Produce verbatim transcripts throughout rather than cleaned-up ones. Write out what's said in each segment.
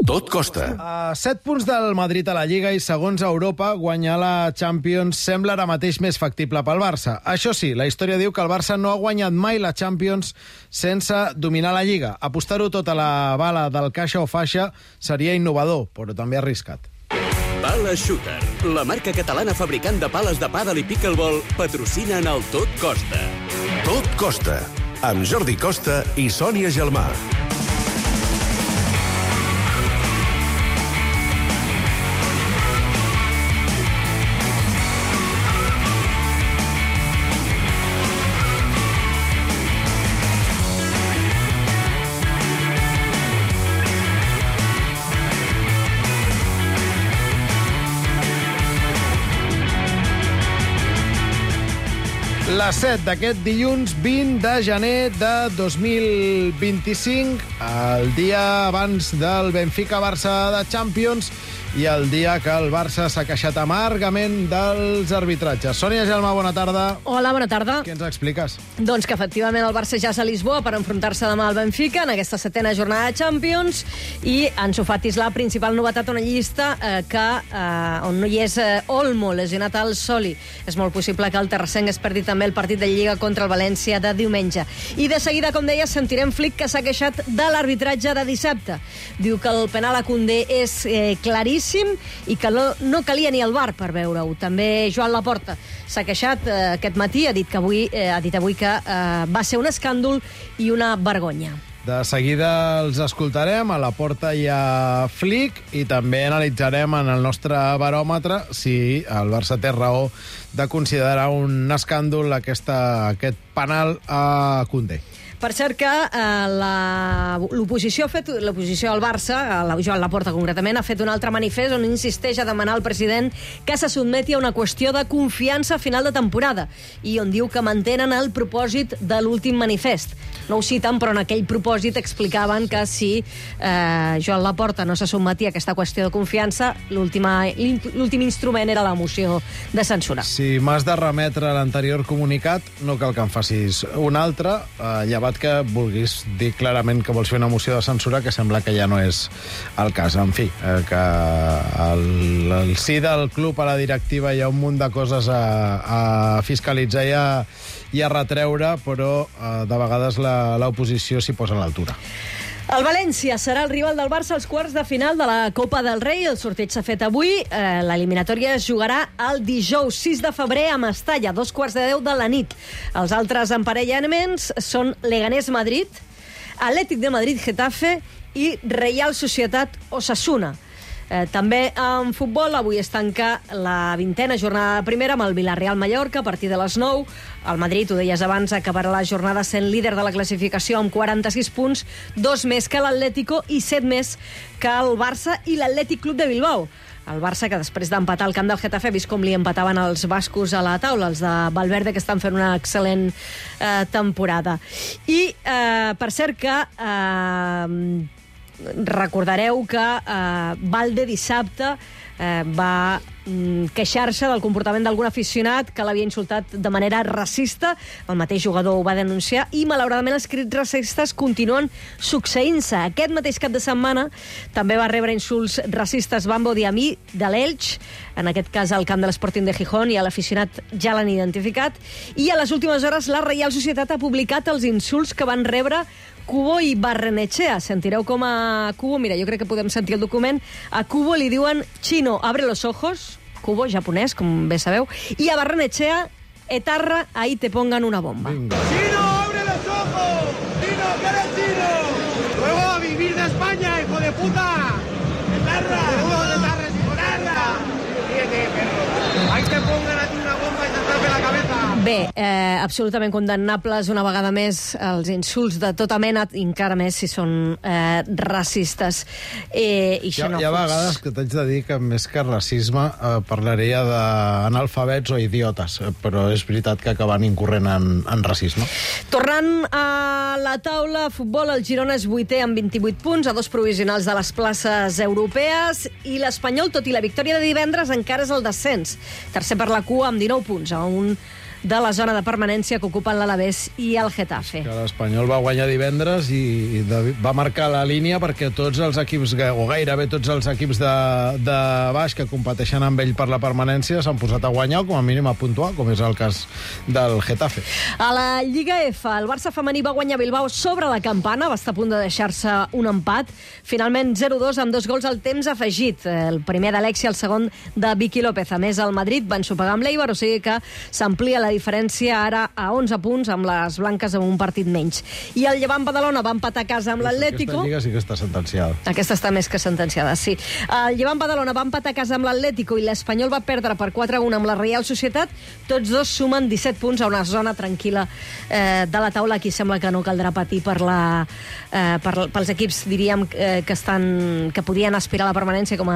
Tot costa. A set punts del Madrid a la Lliga i segons Europa, guanyar la Champions sembla ara mateix més factible pel Barça. Això sí, la història diu que el Barça no ha guanyat mai la Champions sense dominar la Lliga. Apostar-ho tot a la bala del caixa o faixa seria innovador, però també arriscat. Pala Shooter, la marca catalana fabricant de pales de pàdel i pickleball, patrocina en el Tot Costa. Tot costa, amb Jordi Costa i Sònia Gelmà. La set d'aquest dilluns vint de gener de dos mil vint-i-cinc, el dia abans del Benfica-Barça de Champions i el dia que el Barça s'ha queixat amargament dels arbitratges. Sònia Gelmà, bona tarda. Hola, bona tarda. Què ens expliques? Doncs que efectivament el Barça ja és a Lisboa per enfrontar-se demà al Benfica en aquesta setena jornada de Champions i Ansu Fati és la principal novetat, una llista eh, que, eh, on no hi és eh, Olmo, lesionat al Soli. És molt possible que el terrassenc es perdi també el partit de Lliga contra el València de diumenge. I de seguida, com deia, sentirem Flick, que s'ha queixat de l'arbitratge de dissabte. Diu que el penal a Koundé és eh, claríssim i que no, no calia ni el V A R per veure-ho. També Joan Laporta s'ha queixat eh, aquest matí, ha dit, que avui, eh, ha dit avui que eh, va ser un escàndol i una vergonya. De seguida els escoltarem, a Laporta i a Flick, i també analitzarem en el nostre baròmetre si el Barça té raó de considerar un escàndol aquesta, aquest penal a Koundé. Per cert que eh, l'oposició ha fet, l'oposició al Barça, la Joan Laporta concretament, ha fet un altre manifest on insisteix a demanar al president que se sotmeti a una qüestió de confiança a final de temporada i on diu que mantenen el propòsit de l'últim manifest. No ho citen, però en aquell propòsit explicaven que si eh, Joan Laporta no se sotmetia a aquesta qüestió de confiança, l'últim instrument era la moció de censura. Si m'has de remetre l'anterior comunicat, no cal que em facis un altre, eh, llevat que vulguis dir clarament que vols fer una moció de censura, que sembla que ja no és el cas. En fi, eh, que el, el sí del club a la directiva hi ha un munt de coses a, a fiscalitzar i a, i a retreure, però eh, de vegades l'oposició s'hi posa a l'altura. El València serà el rival del Barça als quarts de final de la Copa del Rei. El sorteig s'ha fet avui. Eh, L'eliminatòria es jugarà el dijous sis de febrer a Mestalla, dos quarts de deu de la nit. Els altres emparellaments són Leganés-Madrid, Atlètic de Madrid-Getafe i Reial Societat-Osasuna. Eh, també en futbol, avui es tanca la vintena jornada de primera amb el Villarreal-Mallorca a partir de les nou. El Madrid, ho deies abans, acabarà la jornada sent líder de la classificació amb quaranta-sis punts, dos més que l'Atlético i set més que el Barça i l'Atlètic Club de Bilbao. El Barça, que després d'empatar al camp del Getafe, ha vist com li empataven els bascos a la taula, els de Valverde, que estan fent una excel·lent eh, temporada. I, eh, per cert, que... Eh, recordareu que eh, Valde dissabte eh, va mm, queixar-se del comportament d'algun aficionat que l'havia insultat de manera racista. El mateix jugador ho va denunciar i, malauradament, els crits racistes continuen succeint-se. Aquest mateix cap de setmana també va rebre insults racistes Bambo Diamí de l'Elx, en aquest cas al camp de l'Sporting de Gijón, i l'aficionat ja l'han identificat. I a les últimes hores la Reial Societat ha publicat els insults que van rebre Cubo i Barrenechea. Sentireu com a Cubo, mira, jo crec que podem sentir el document, a Cubo li diuen Chino, abre los ojos, Cubo, japonès, com bé sabeu, i a Barrenechea, etarra, ahí te pongan una bomba. Vinga. ¡Chino, abre los ojos! ¡Chino, que eres chino! ¡Luego a vivir de España, hijo de puta! ¡Etarra! ¡Luego de etarra, hijo de etarra! ¡Fíjate, perro! ¡Ahí te pongan a ti una bomba y te tape la cabeza! Bé, eh, absolutament condemnables una vegada més els insults de tota mena, encara més si són eh, racistes. Eh, i hi, ha, hi ha vegades que t'haig de dir que més que racisme eh, parlaria d'analfabets o idiotes, però és veritat que acaben incorrent en, en racisme. Tornant a la taula, futbol, el Girona és vuitè amb vint-i-vuit punts, a dos provisionals de les places europees, i l'Espanyol, tot i la victòria de divendres, encara és el descens. Tercer per la cua amb dinou punts, a un de la zona de permanència que ocupen l'Alavés i el Getafe. Que l'Espanyol va guanyar divendres i va marcar la línia perquè tots els equips, o gairebé tots els equips de, de baix que competeixen amb ell per la permanència s'han posat a guanyar o com a mínim a puntuar, com és el cas del Getafe. A la Lliga F, el Barça femení va guanyar Bilbao sobre la campana, va estar a punt de deixar-se un empat. Finalment zero dos amb dos gols al temps afegit. El primer d'Alexia, el segon de Vicky López. A més, el Madrid va ensopegar amb l'Eibar, o sigui que s'amplia la diferència ara a onze punts amb les blanques amb un partit menys. I el Llevant Badalona va empatar a casa amb l'Atlético. Aquesta lliga sí que està sentenciada. Aquesta està més que sentenciada, sí. El Llevant Badalona va empatar a casa amb l'Atlético i l'Espanyol va perdre per quatre a un amb la Real Societat. Tots dos sumen disset punts a una zona tranquil·la eh, de la taula. Aquí sembla que no caldrà patir per la, eh, per, pels equips, diríem, eh, que, estan, que podien aspirar a la permanència com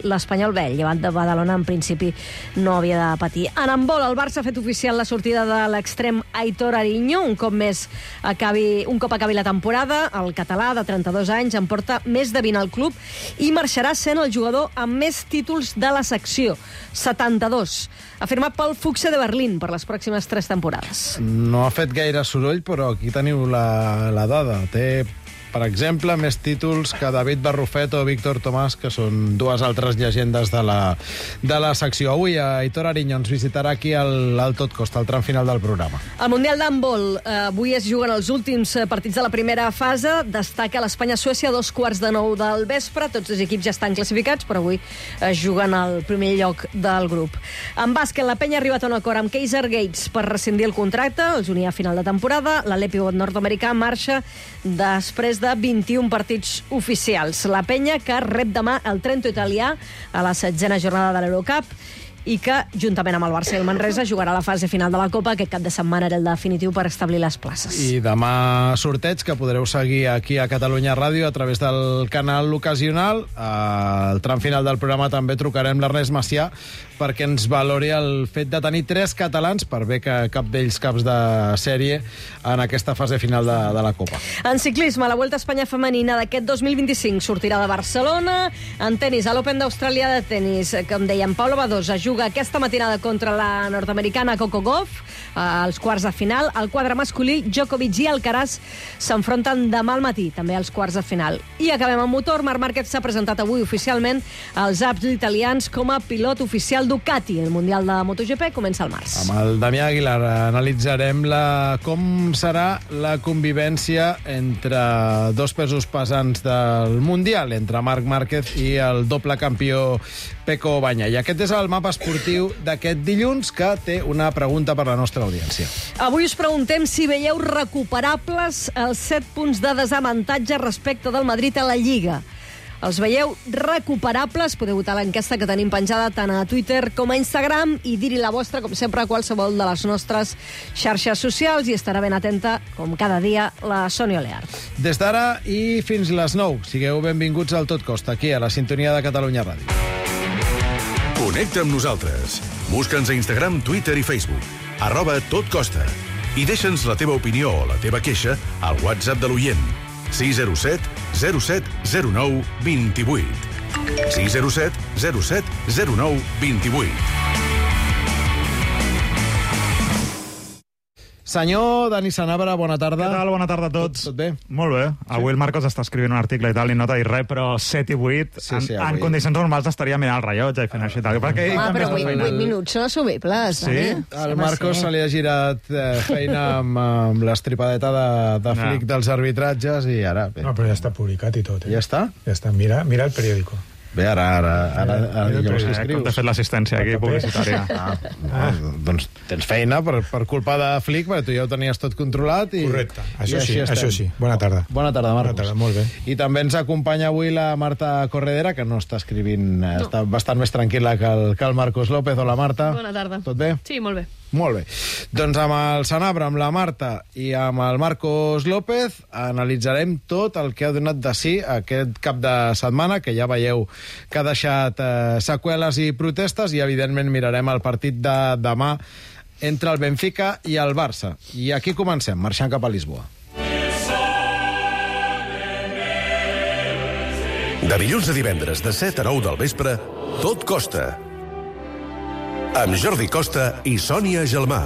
l'Espanyol. Bé, el Llevant de Badalona en principi no havia de patir. En handbol, el Barça ha fet oficial la sortida de l'extrem Aitor Ariño. Un cop més acabi, un cop acabi la temporada, el català de trenta-dos anys en porta més de vint al club i marxarà sent el jugador amb més títols de la secció, setanta-dos. Ha firmat pel Fuchse de Berlín per les pròximes tres temporades. No ha fet gaire soroll, però aquí teniu la, la dada. Té, per exemple, més títols que David Barrufet o Víctor Tomàs, que són dues altres llegendes de la, de la secció. Avui Aitor Ariño ens visitarà aquí al, al Tot Costa, al tram final del programa. Al Mundial d'handbol, eh, avui es juguen els últims partits de la primera fase. Destaca l'Espanya-Suècia a dos quarts de nou del vespre. Tots els equips ja estan classificats, però avui es juguen al primer lloc del grup. En bàsquet, la Penya ha arribat a un acord amb Kaiser Gates per rescindir el contracte. Els unia a final de temporada. L'Alepio nord-americà marxa després de vint-i-un partits oficials. La Penya, que rep demà el Trento italià a la setzena jornada de l'Eurocup i que, juntament amb el Barça i el Manresa, jugarà la fase final de la Copa. Aquest cap de setmana era el definitiu per establir les places. I demà sorteig que podreu seguir aquí a Catalunya Ràdio a través del canal ocasional. Al tram final del programa també trucarem l'Ernest Macià perquè ens valori el fet de tenir tres catalans, per bé que cap d'ells caps de sèrie, en aquesta fase final de, de la Copa. En ciclisme, la Vuelta a Espanya femenina d'aquest dos mil vint-i-cinc sortirà de Barcelona. En tenis, a l'Open d'Austràlia de tenis, com dèiem, Paula Badosa juga aquesta matinada contra la nord-americana Coco Gauff, als quarts de final. Al quadre masculí, Djokovic i Alcaraz s'enfronten demà al matí, també als quarts de final. I acabem amb motor. Marc Márquez s'ha presentat avui oficialment als Alps italians com a pilot oficial Ducati. El Mundial de MotoGP comença al març. Amb el Damià Aguilar analitzarem la, com serà la convivència entre dos pesos pesants del Mundial, entre Marc Márquez i el doble campió Pecco Bagnaia. I aquest és el mapa esportiu d'aquest dilluns, que té una pregunta per la nostra audiència. Avui us preguntem si veieu recuperables els set punts de desavantatge respecte del Madrid a la Lliga. Els veieu recuperables? Podeu votar l'enquesta que tenim penjada tant a Twitter com a Instagram i dir-hi la vostra, com sempre, a qualsevol de les nostres xarxes socials, i estarà ben atenta, com cada dia, la Sònia Oleart. Des d'ara i fins les nou, sigueu benvinguts al Tot Costa, aquí a la sintonia de Catalunya Ràdio. Connecta amb nosaltres. Busca'ns a Instagram, Twitter i Facebook. Arroba Tot Costa. I deixa'ns la teva opinió o la teva queixa al WhatsApp de l'oient. sis zero set zero set zero nou dos vuit. sis zero set zero set zero nou dos vuit. Senyor Dani Sanabra, bona tarda. Què tal? Bona tarda a tots. Tot, tot bé? Molt bé. Avui el Marcos està escrivint un article i tal, i no t'ha dit res, però set i vuit, Sí, en, sí, en avui. condicions normals estaria mirant el rellotge i fent això i tal. Perquè ell Ah, també però està vuit, feinant. vuit minuts són assumibles. Sí? Dani. El Marcos se li ha girat eh, feina amb, amb l'estripadeta de, de No. flic dels arbitratges i ara... Bé, No, però ja està publicat i tot, eh? ja està? Ja està. Mira, mira el periòdico. Bé, ara, ara, ara, ara Mira, llavors mira, què Eh, com t'ha escrius? fet l'assistència aquí, publicitària. Ah, no, doncs tens feina per, per culpa de Flick, perquè tu ja ho tenies tot controlat. I, Correcte. Això i així sí, estem. això sí. Bona tarda. Bona tarda, Marcos. Bona tarda, molt bé. I també ens acompanya avui la Marta Corredera, que no està escrivint, no. Està bastant més tranquil·la que el, que el Marcos López. Hola, Marta. Bona tarda. Tot bé? Sí, molt bé. Molt bé. Doncs amb el Sanabra, amb la Marta i amb el Marcos López analitzarem tot el que ha donat de si aquest cap de setmana, que ja veieu que ha deixat eh, seqüeles i protestes, i evidentment mirarem el partit de demà entre el Benfica i el Barça. I aquí comencem, marxant cap a Lisboa. De dilluns a divendres, de set a nou del vespre, Tot Costa. amb Jordi Costa i Sònia Gelmà.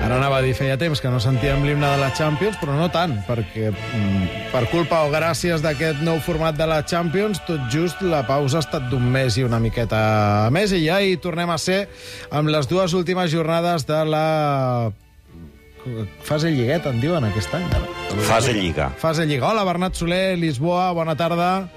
Ara anava a dir, feia temps que no sentíem l'himne de la Champions, però no tant, perquè mm, per culpa o gràcies d'aquest nou format de la Champions, tot just la pausa ha estat d'un mes i una miqueta més, i ja hi tornem a ser amb les dues últimes jornades de la fase lligueta, en diuen aquest any. Ara. Fase Lliga. Fase Lliga. Hola, Bernat Soler, Lisboa, bona tarda.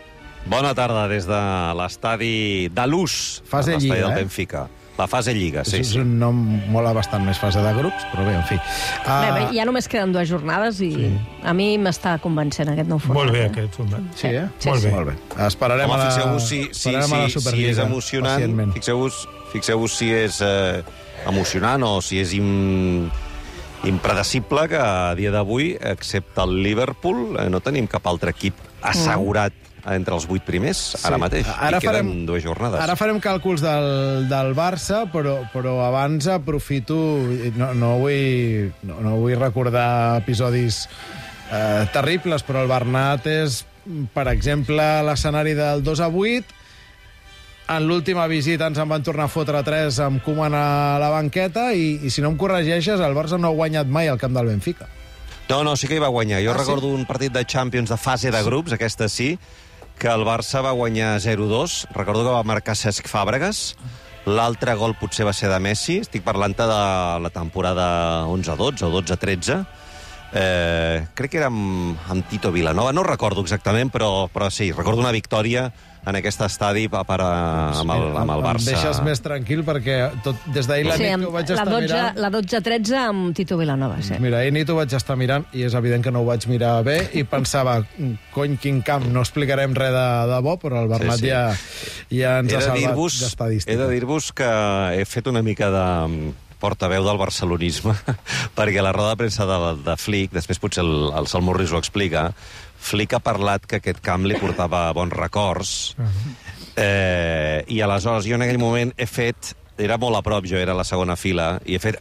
Bona tarda des de l'estadi de l'U S, Fase l'estadi Lliga, del eh? Benfica. La fase Lliga, sí, és sí. un nom molt bastant més fase de grups, però bé, en fi. Uh... Bé, bé, ja només queden dues jornades i sí. A mi m'està convencent aquest nou format. Molt bé, eh? aquest format. Sí, eh? Sí, molt bé. Molt bé. Esperarem Home, a la, fixeu-vos si, si, esperarem a la si, si Superliga. és emocionant, fixeu-vos fixeu si és eh, emocionant o si és im, impredecible que a dia d'avui, excepte el Liverpool, eh, no tenim cap altre equip assegurat mm. entre els vuit primers, sí. ara mateix. Ara I queden farem, dues jornades. Ara farem càlculs del, del Barça, però, però abans aprofito... No, no, vull, no, no vull recordar episodis eh, terribles, però el Bernat és, per exemple, l'escenari del dos a vuit. En l'última visita ens en van tornar a fotre tres amb Koeman a la banqueta i, i si no em corregeixes, el Barça no ha guanyat mai al camp del Benfica. No, no, sí que hi va guanyar. Jo ah, recordo sí? un partit de Champions de fase de grups, aquesta sí, que el Barça va guanyar zero dos. Recordo que va marcar Cesc Fàbregas. L'altre gol potser va ser de Messi. Estic parlant-te de la temporada onze dotze o dotze tretze. Eh, crec que era amb, amb Tito Vilanova. No recordo exactament, però, però sí, recordo una victòria en aquest estadi per, per, amb, el, amb el Barça. Em deixes més tranquil perquè tot, des d'ahir la sí, nit que ho vaig la estar dotze, mirant... la dotze tretze amb Tito Vilanova, sí. Mira, ahir nit ho vaig estar mirant i és evident que no ho vaig mirar bé i pensava, cony, quin camp, no explicarem res de, de bo, però el Bernat sí, sí. ja, ja ens ha salvat d'estadística. He de dir-vos que he fet una mica de portaveu del barcelonisme, perquè la roda de premsa de, de Flick, després potser el, el Sal Morris ho explica, Flick ha parlat que aquest camp li portava bons records, eh, i aleshores jo en aquell moment he fet, era molt a prop, jo era a la segona fila, i he fet...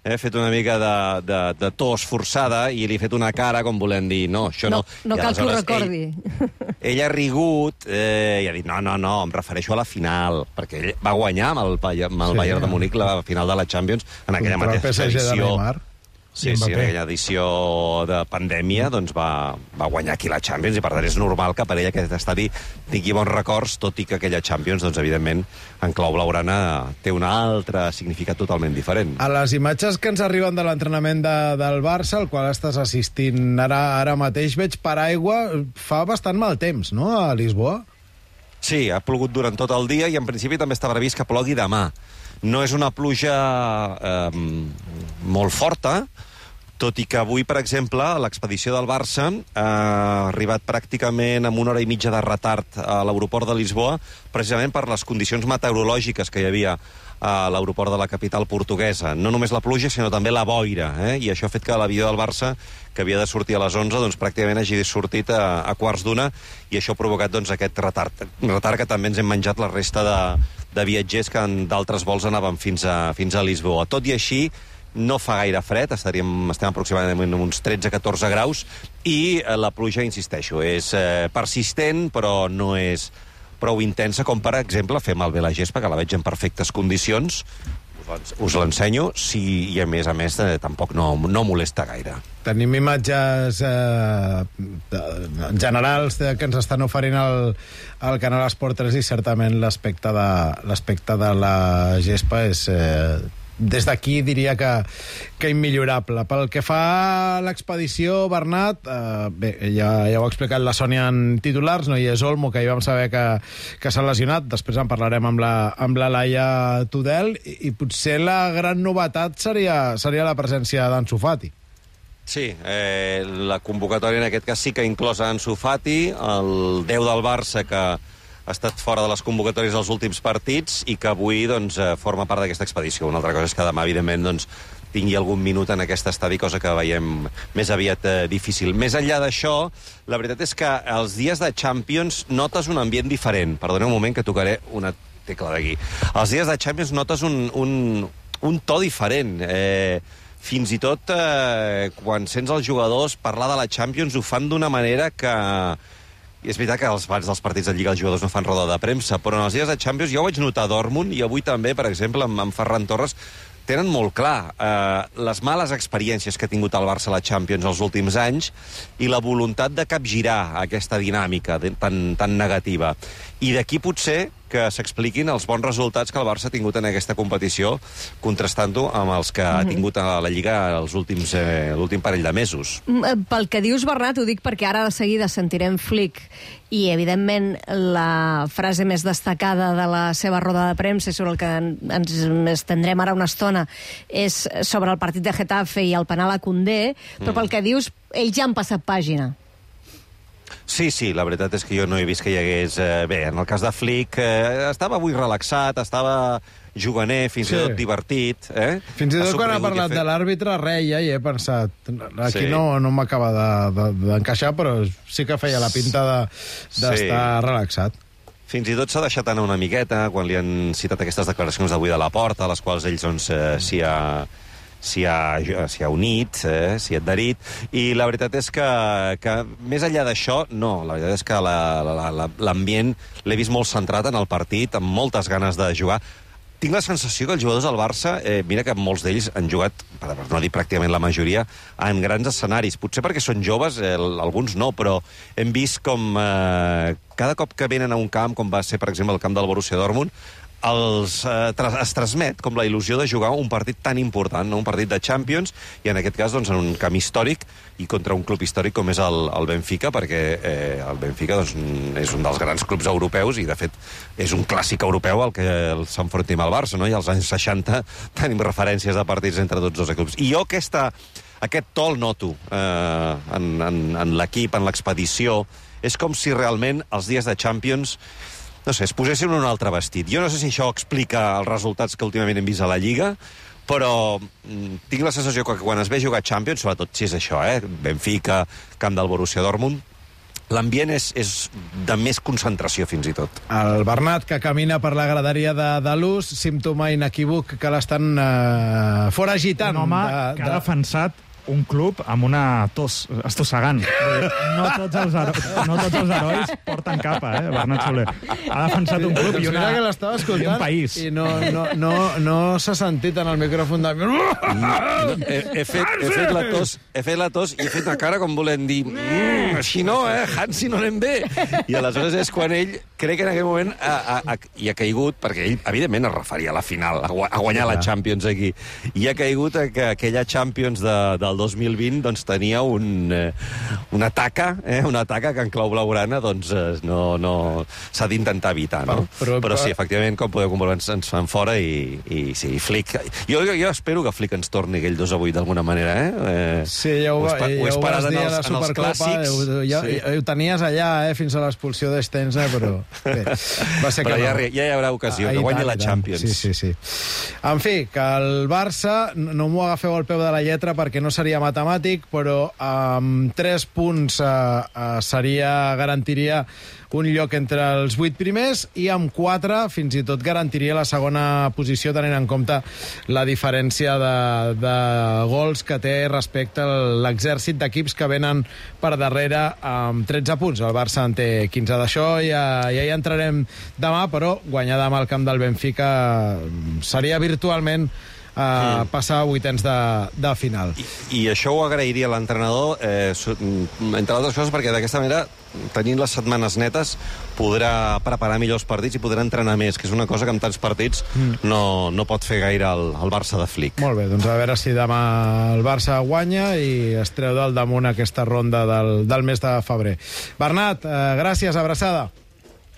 he fet una mica de, de, de tos forçada i li he fet una cara com volem dir, no, això no. No, no cal que ho recordi. Ell, ell ha rigut eh, i ha dit, no, no, no, em refereixo a la final, perquè ell va guanyar amb el, amb el sí, Bayern de Múnich la final de la Champions en aquella mateixa edició. Sí, sí, en aquella edició de pandèmia doncs va, va guanyar aquí la Champions i per tant és normal que per ell aquest estadi tingui bons records, tot i que aquella Champions, doncs evidentment, en clau blaugrana té un altre significat totalment diferent. A les imatges que ens arriben de l'entrenament de, del Barça, al qual estàs assistint ara, ara mateix, veig paraigua, fa bastant mal temps, no?, a Lisboa? Sí, ha plogut durant tot el dia i en principi també està previst que plogui demà. No és una pluja eh, molt forta, tot i que avui, per exemple, l'expedició del Barça ha arribat pràcticament amb una hora i mitja de retard a l'aeroport de Lisboa, precisament per les condicions meteorològiques que hi havia a l'aeroport de la capital portuguesa. No només la pluja, sinó també la boira, eh? I això ha fet que l'avió del Barça, que havia de sortir a les onze, doncs pràcticament hagi sortit a, a quarts d'una, i això ha provocat doncs, aquest retard. Retard que també ens hem menjat la resta de, de viatgers que en d'altres vols anaven fins a, fins a Lisboa. Tot i així, no fa gaire fred, estaríem, estem aproximadament en uns tretze a catorze graus, i la pluja, insisteixo, és eh, persistent, però no és prou intensa com, per exemple, fer malbé la gespa, que la veig en perfectes condicions. Us l'ensenyo, sí, i a més a més eh, tampoc no, no molesta gaire. Tenim imatges eh, generals de, que ens estan oferint el, el canal Esport tres i certament l'aspecte de, l'aspecte de la gespa és... Eh, des d'aquí diria que, que immillorable. Pel que fa a l'expedició, Bernat, eh, bé, ja, ja ho ha explicat la Sònia en titulars, no hi és Olmo, que hi vam saber que, que s'ha lesionat, després en parlarem amb la, amb la Laia Tudel, i, i potser la gran novetat seria, seria la presència d'Ansu Fati. Sí, eh, la convocatòria en aquest cas sí que ha inclòs Ansu Fati, el deu del Barça, que ha estat fora de les convocatòries dels últims partits i que avui doncs, forma part d'aquesta expedició. Una altra cosa és que demà, evidentment, doncs, tingui algun minut en aquest estadi, cosa que veiem més aviat eh, difícil. Més enllà d'això, la veritat és que els dies de Champions notes un ambient diferent. Perdoneu un moment que tocaré una tecla d'aquí. Els dies de Champions notes un, un, un to diferent. Eh, fins i tot eh, quan sents els jugadors parlar de la Champions ho fan d'una manera que... I és veritat que als abans dels partits de Lliga els jugadors no fan roda de premsa, però en els dies de Champions jo ho vaig notar a Dortmund i avui també, per exemple, amb, amb Ferran Torres, tenen molt clar eh, les males experiències que ha tingut el Barça a la Champions els últims anys i la voluntat de capgirar aquesta dinàmica de, tan, tan negativa. I d'aquí potser que s'expliquin els bons resultats que el Barça ha tingut en aquesta competició, contrastant-ho amb els que ha tingut a la Lliga els últims, eh, l'últim parell de mesos. Pel que dius, Bernat, ho dic perquè ara de seguida sentirem Flick i, evidentment, la frase més destacada de la seva roda de premsa sobre el que ens estendrem ara una estona és sobre el partit de Getafe i el penal a Koundé, però pel que dius, ells ja han passat pàgina. Sí, sí, la veritat és que jo no he vist que hi hagués... Eh, bé, en el cas de Flick, eh, estava avui relaxat, estava juganer, fins sí. i tot divertit. Eh? Fins i tot quan ha parlat de l'àrbitre, reia i he pensat... Aquí sí. no, no m'acaba d'encaixar, de, de, però sí que feia la pinta d'estar de, sí. relaxat. Fins i tot s'ha deixat anar una miqueta quan li han citat aquestes declaracions d'avui de la Porta, a les quals ells doncs, eh, s'hi ha... s'hi ha, s'hi ha unit, eh, s'hi ha adherit, i la veritat és que, que més enllà d'això, no, la veritat és que l'ambient l'he vist molt centrat en el partit, amb moltes ganes de jugar. Tinc la sensació que els jugadors del Barça, eh, mira que molts d'ells han jugat, per no dir pràcticament la majoria, en grans escenaris. Potser perquè són joves, eh, alguns no, però hem vist com eh, cada cop que venen a un camp, com va ser, per exemple, el camp del Borussia Dortmund, els, eh, es transmet com la il·lusió de jugar un partit tan important, no? Un partit de Champions, i en aquest cas doncs, en un camp històric i contra un club històric com és el, el Benfica, perquè eh, el Benfica doncs, és un dels grans clubs europeus i, de fet, és un clàssic europeu al que s'enfrontim al Barça, no? I als anys seixanta tenim referències de partits entre tots dos clubs. I jo aquesta, aquest to el noto eh, en, en, en l'equip, en l'expedició. És com si realment els dies de Champions no sé, es posessin un altre vestit. Jo no sé si això explica els resultats que últimament hem vist a la Lliga, però mm, tinc la sensació que quan es ve jugar Champions, sobretot si és això, eh? Benfica, camp del Borussia Dortmund, l'ambient és, és de més concentració, fins i tot. El Bernat, que camina per la graderia de, de l'U S, símptoma inequívoc que l'estan eh, foragitant. Un home de, que ha defensat un club amb una tos estossegant. No tots els, no tots els herois porten capa, eh, Bernat Soler. Ha defensat un club i, una, que l'estava escoltant i un país. I no, no, no, no s'ha sentit en el micròfon de... No, he, he, fet, he, fet la tos, he fet la tos i he fet una cara com volent dir mmm, així no, eh, Hansi no anem bé. I aleshores és quan ell, crec que en aquell moment ha, ha, ha, hi ha caigut, perquè ell, evidentment, es referia a la final, a guanyar la Champions aquí. I ha caigut que aquella Champions de, del dos mil vint doncs, tenia un, eh, una taca, eh, una taca que en clau blaugrana doncs, eh, no, no, s'ha d'intentar evitar. No? Però, però, però sí, efectivament, com podeu comprovar, ens, ens fan fora i, i sí, Flick... Jo, jo, jo espero que Flick ens torni aquell dos a vuit d'alguna manera, eh? eh sí, ja ho, va, ja ho vas dir a la Supercopa, ho, ja, sí. ho tenies allà, eh, fins a l'expulsió d'Stenza, però bé, va ser però que ja, no. ja hi haurà ocasió, ah, que guanyi la Champions. Sí, sí, sí. En fi, que el Barça, no m'ho agafeu al peu de la lletra perquè no seria matemàtic, però amb tres punts eh, eh, seria, garantiria un lloc entre els vuit primers i amb quatre fins i tot garantiria la segona posició tenint en compte la diferència de, de gols que té respecte a l'exèrcit d'equips que venen per darrere amb tretze punts. El Barça en té quinze. D'això ja, ja hi entrarem demà, però guanyar demà al camp del Benfica seria virtualment a passar a vuitens de, de final. I, I això ho agrairia a l'entrenador, eh, entre altres coses, perquè d'aquesta manera, tenint les setmanes netes, podrà preparar millors partits i podrà entrenar més, que és una cosa que amb tants partits mm. no, no pot fer gaire el, el Barça de Flick. Molt bé, doncs a veure si demà el Barça guanya i es treu del damunt aquesta ronda del, del mes de febrer. Bernat, eh, gràcies, abraçada.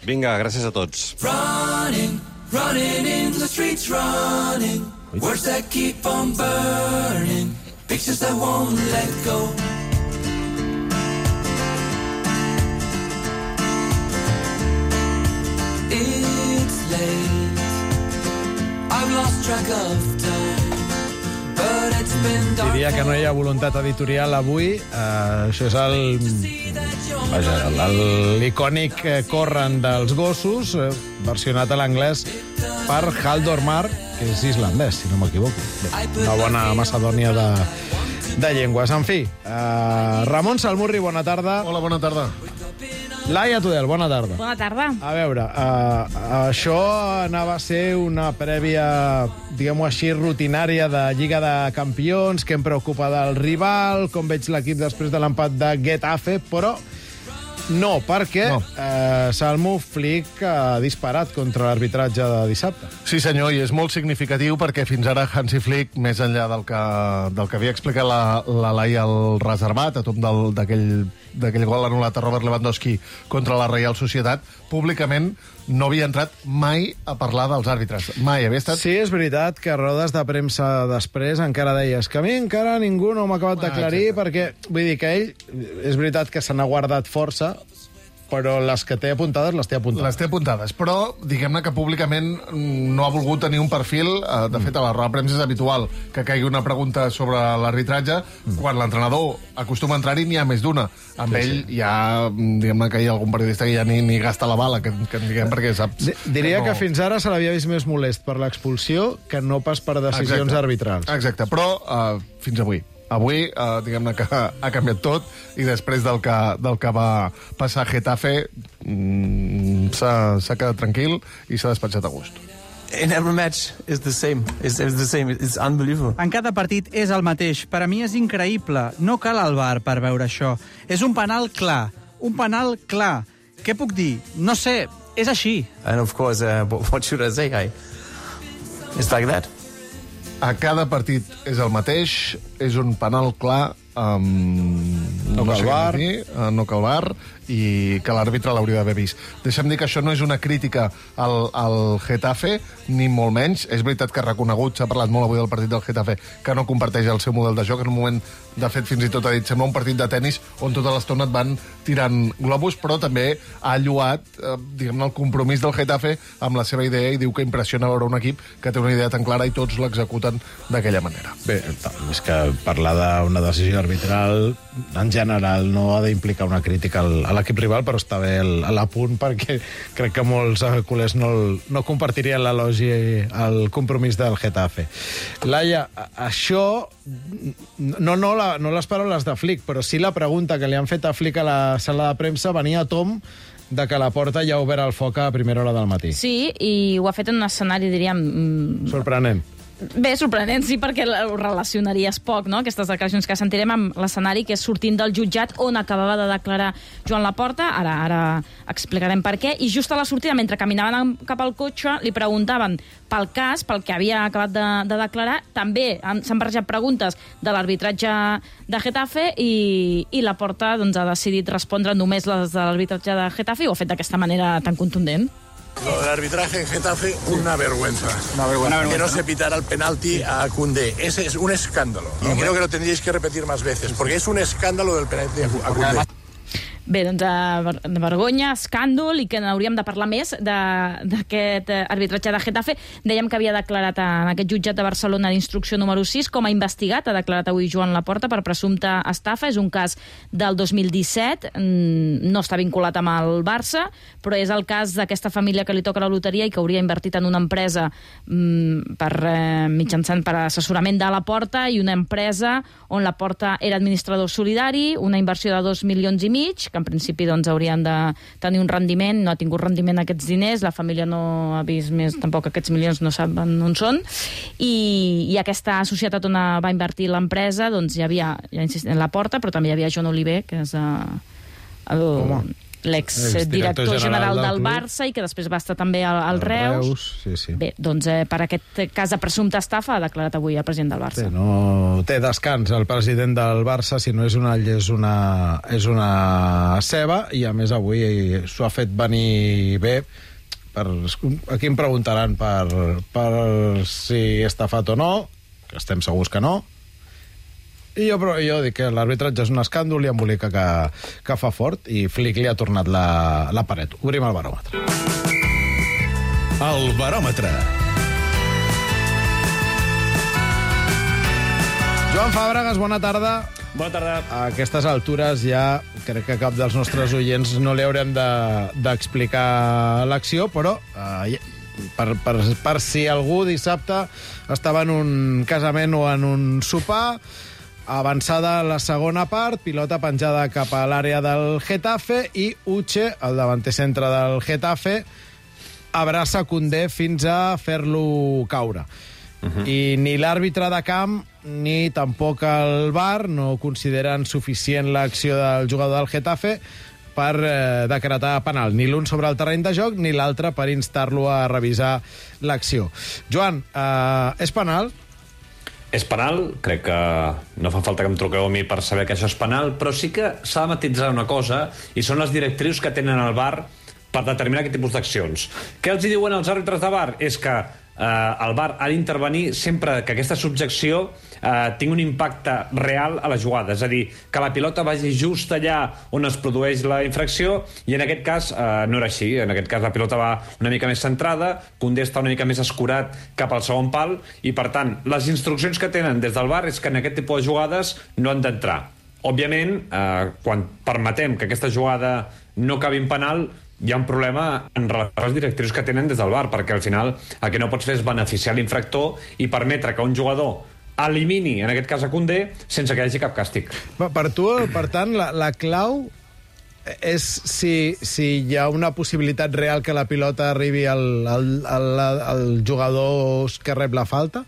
Vinga, gràcies a tots. Running, running in the streets, running. Words that keep on burning, pictures that won't let go. It's late, I've lost track of time, but it's Diria que no hi ha voluntat editorial avui. Uh, això és el... Vaja, l'icònic corren dels gossos, eh, versionat a l'anglès per Haldor Mar, que és islandès, si no m'equivoco. Una bona macedònia de, de llengües. En fi, uh, Ramon Salmurri, bona tarda. Hola, bona tarda. Laia Tudel, bona tarda. Bona tarda. A veure, uh, això anava a ser una prèvia, diguem-ho així, rutinària de Lliga de Campions, que em preocupa del rival, com veig l'equip després de l'empat de Getafe, però no, perquè no. Eh, Salmo Flick ha disparat contra l'arbitratge de dissabte. Sí, senyor, i és molt significatiu perquè fins ara Hansi Flick, més enllà del que, del que havia explicat la, la Laia al reservat, a tom d'aquell d'aquell gol anul·lat a Robert Lewandowski contra la Reial Societat, públicament no havia entrat mai a parlar dels àrbitres. Mai havia estat... Sí, és veritat que a rodes de premsa després encara deies que a mi encara ningú no m'ha acabat d'aclarir, ah, perquè, vull dir que ell, és veritat que se n'ha guardat força, però les que té apuntades, les té apuntades. Les té apuntades, però diguem-ne que públicament no ha volgut tenir un perfil. De fet, a la roda de premsa és habitual que caigui una pregunta sobre l'arbitratge. Mm. Quan l'entrenador acostuma a entrar-hi, n'hi ha més d'una. Amb sí, ell sí. Hi ha, diguem-ne que hi ha algun periodista que ja ni, ni gasta la bala, que, que en diguem, perquè saps... Diria que, no... que fins ara se l'havia vist més molest per l'expulsió que no pas per decisions Exacte. arbitrals. Exacte, però uh, fins avui. Avui, eh, diguem-ne que ha canviat tot, i després del que, del que va passar a Getafe, mm, s'ha quedat tranquil i s'ha despatxat a gust. In every match is the same. It's, it's the same. It's unbelievable. En cada partit és el mateix. Per a mi és increïble. No cal el V A R per veure això. És un penal clar. Un penal clar. Què puc dir? No sé. És així. And of course, uh, what should I say? I... It's like that. A cada partit és el mateix, és un penal clar, um, no, no cal bar, dir, uh, no cal bar, i que l'àrbitre l'hauria d'haver vist. Deixa'm dir que això no és una crítica al, al Getafe, ni molt menys. És veritat que ha reconegut, s'ha parlat molt avui del partit del Getafe, que no comparteix el seu model de joc. En un moment, de fet, fins i tot ha dit, sembla un partit de tennis on tota l'estona et van tirant globus, però també ha lloat, eh, diguem-ne, el compromís del Getafe amb la seva idea, i diu que impressiona veure un equip que té una idea tan clara i tots l'executen d'aquella manera. Bé, és que parlar d'una decisió arbitral en general no ha d'implicar una crítica al, a l'equip rival, però està bé l'apunt, perquè crec que molts culers no, no compartirien l'elogi al compromís del Getafe. Laia, això no, no, la, no les paraules de Flick, però sí la pregunta que li han fet a Flick a la sala de premsa venia a tom de que la Porta ja ha obert el foc a primera hora del matí. Sí, i ho ha fet en un escenari, diríem... sorprenent. Bé, sorprenent, sí, perquè ho relacionaries poc, no?, aquestes declaracions que sentirem amb l'escenari que és sortint del jutjat on acabava de declarar Joan Laporta. Ara ara explicarem per què. I just a la sortida, mentre caminaven cap al cotxe, li preguntaven pel cas, pel que havia acabat de, de declarar. També s'han barrejat preguntes de l'arbitratge de Getafe i, i Laporta doncs, ha decidit respondre només les de l'arbitratge de Getafe, i ho ha fet d'aquesta manera tan contundent. Lo del arbitraje en Getafe, una vergüenza. Una vergüenza. Que no se pitara el penalti a Koundé. Ese es un escándalo. Y creo que lo tendríais que repetir más veces, porque es un escándalo del penalti a Koundé. Bé, doncs de vergonya, escàndol, i que n'hauríem de parlar més d'aquest arbitratge de Getafe. Dèiem que havia declarat en aquest jutjat de Barcelona d'instrucció número sis com a investigat. Ha declarat avui Joan Laporta per presumpta estafa. És un cas del dos mil disset, no està vinculat amb el Barça, però és el cas d'aquesta família que li toca la loteria i que hauria invertit en una empresa per mitjançant per assessorament de Laporta, i una empresa on Laporta era administrador solidari, una inversió de dos milions i mig, que en principi doncs, haurien de tenir un rendiment. No ha tingut rendiment aquests diners, la família no ha vist més tampoc aquests milions, no saben on són, i, i aquesta societat on va invertir l'empresa, doncs hi havia, ja insistim, Laporta, però també hi havia John Oliver, que és l'ex-director general del Barça i que després va estar també al, al Reus. Reus sí, sí. Bé, doncs eh, per aquest cas de presumpta estafa ha declarat avui el president del Barça. Bé, no té descans el president del Barça, si no és una all, és una, és una ceba, i a més avui s'ho ha fet venir bé. Per, aquí em preguntaran per, per si estafat o no, que estem segurs que no. I jo, però, jo dic que l'arbitratge és un escàndol i embolica que, que fa fort, i Flick li ha tornat la, la paret. Obrim el baròmetre. El baròmetre. Joan Fàbregas, bona tarda. Bona tarda. A aquestes altures ja crec que cap dels nostres oients no li haurem d'explicar de, l'acció, però eh, per, per, per si algú dissabte estava en un casament o en un sopar, avançada la segona part, pilota penjada cap a l'àrea del Getafe i Uche, el davanter centre del Getafe, abraça Koundé fins a fer-lo caure. Uh-huh. I ni l'àrbitre de camp ni tampoc el V A R no consideren suficient l'acció del jugador del Getafe per eh, decretar penal, ni l'un sobre el terreny de joc ni l'altre per instar-lo a revisar l'acció. Joan, eh, és penal? És penal, crec que no fa falta que em truqueu a mi per saber que això és penal, però sí que s'ha de matitzar una cosa, i són les directrius que tenen el V A R per determinar aquest tipus d'accions. Què els diuen els àrbitres de V A R? És que eh, el V A R ha d'intervenir sempre que aquesta subjecció eh, tingui un impacte real a la jugada, és a dir, que la pilota vagi just allà on es produeix la infracció, i en aquest cas eh, no era així. En aquest cas la pilota va una mica més centrada, Koundé està una mica més escurat cap al segon pal, i per tant, les instruccions que tenen des del V A R és que en aquest tipus de jugades no han d'entrar. Òbviament, eh, quan permetem que aquesta jugada no acabi en penal, hi ha un problema en relació a les directrius que tenen des del V A R, perquè al final el que no pots fer és beneficiar l'infractor i permetre que un jugador elimini, en aquest cas a Koundé, sense que hi hagi cap càstig. Per tu, per tant, la, la clau és si, si hi ha una possibilitat real que la pilota arribi al, al, al, al jugador que rep la falta?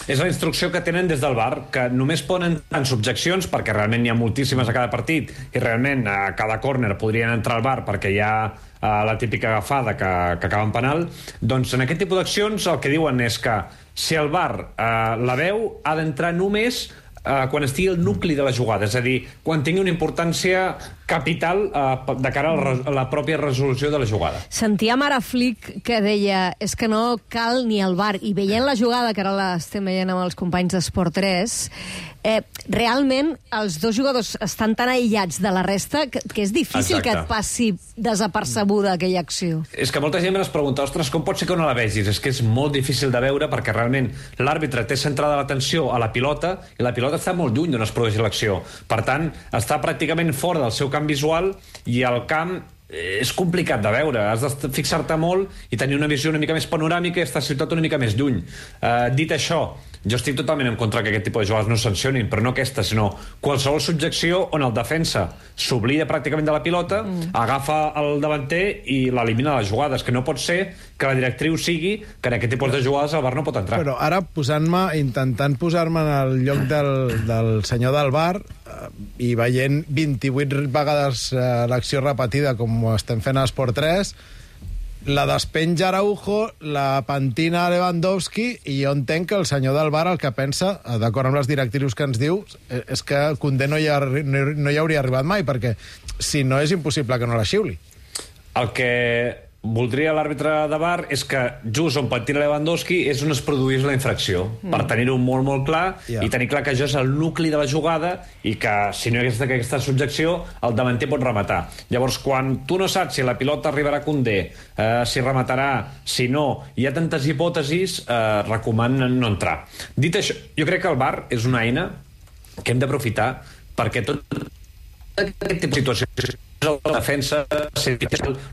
És la instrucció que tenen des del V A R, que només poden en subjeccions, perquè realment n'hi ha moltíssimes a cada partit, i realment a cada córner podrien entrar al V A R perquè hi ha uh, la típica agafada que, que acaba en penal. Doncs en aquest tipus d'accions el que diuen és que si el V A R uh, la veu, ha d'entrar només uh, quan estigui el nucli de la jugada, és a dir, quan tingui una importància capital uh, de cara a la, a la pròpia resolució de la jugada. Sentíem ara Flick que deia és que no cal ni el V A R, i veient la jugada, que ara l'estem veient amb els companys d'Esport tres, eh, realment els dos jugadors estan tan aïllats de la resta que, que és difícil Exacte. Que et passi desapercebuda aquella acció. És que molta gent es pregunta, ostres, com pot ser que no la vegis? És que és molt difícil de veure perquè realment l'àrbitre té centrada l'atenció a la pilota i la pilota està molt lluny d'on es produeix l'acció. Per tant, està pràcticament fora del seu camp visual, i el camp és complicat de veure. Has de fixar-te molt i tenir una visió una mica més panoràmica i estar situat una mica més lluny. Uh, dit això, jo estic totalment en contra que aquest tipus de jugades no es sancionin, però no aquesta, sinó qualsevol subjecció on el defensa s'oblida pràcticament de la pilota, mm. agafa el davanter i l'elimina de les jugades, que no pot ser que la directriu sigui que en aquest tipus de jugades el V A R no pot entrar. Però ara, posant-me, intentant posar-me en el lloc del, del senyor del V A R eh, i veient vint-i-vuit vegades eh, l'acció repetida com estem fent a Esport tres, la despenja Araujo, la pentina Lewandowski, i jo entenc que el senyor del V A R el que pensa, d'acord amb les directrius que ens diu, és que Koundé no hi, ha, no hi hauria arribat mai, perquè si no és impossible que no la xiuli. El que voldria l'àrbitre de V A R és que just on pentina Lewandowski és on es produís la infracció, mm. per tenir-ho molt, molt clar, yeah. i tenir clar que això és el nucli de la jugada i que si no hi hagués aquesta subjecció el davanter pot rematar. Llavors, quan tu no saps si la pilota arribarà a Koundé, eh, si rematarà, si no, hi ha tantes hipòtesis, eh, recomanen no entrar. Dit això, jo crec que el V A R és una eina que hem d'aprofitar perquè tot aquest tipus de situacions la defensa,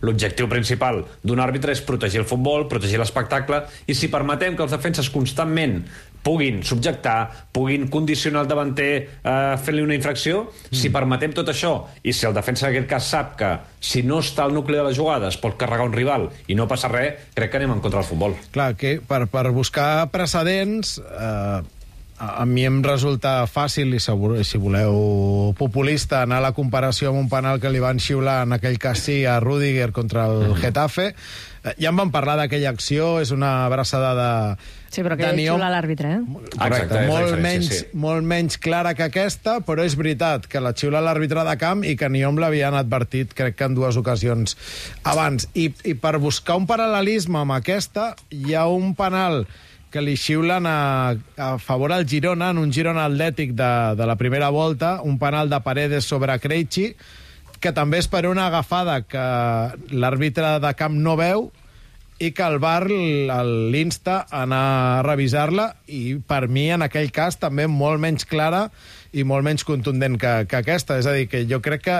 l'objectiu principal d'un àrbitre és protegir el futbol, protegir l'espectacle, i si permetem que els defenses constantment puguin subjectar, puguin condicionar el davanter eh, fent-li una infracció, mm. si permetem tot això, i si el defensa en aquest cas sap que si no està al nucli de la jugada es pot carregar un rival i no passa res, crec que anem en contra del futbol. Clar, que per, per buscar precedents... Eh... A mi em resulta fàcil, i segur, si voleu populista, anar a la comparació amb un penal que li van xiular en aquell cas sí a Rüdiger contra el Getafe. Ja en vam parlar d'aquella acció, és una abraçada de... Sí, però que hi xiula l'àrbitre, eh? Correcte, molt menys, sí. molt menys clara que aquesta, però és veritat que la xiula l'àrbitre de camp i que ni hom l'havien advertit, crec que en dues ocasions abans. I, i per buscar un paral·lelisme amb aquesta, hi ha un penal que li xiulen a, a favor al Girona, en un Girona Atlètic de, de la primera volta, un penal de Paredes sobre Krejci, que també és per una agafada que l'àrbitre de camp no veu i que el V A R l'insta a anar a revisar-la, i per mi, en aquell cas, també molt menys clara i molt menys contundent que, que aquesta. És a dir, que jo crec que,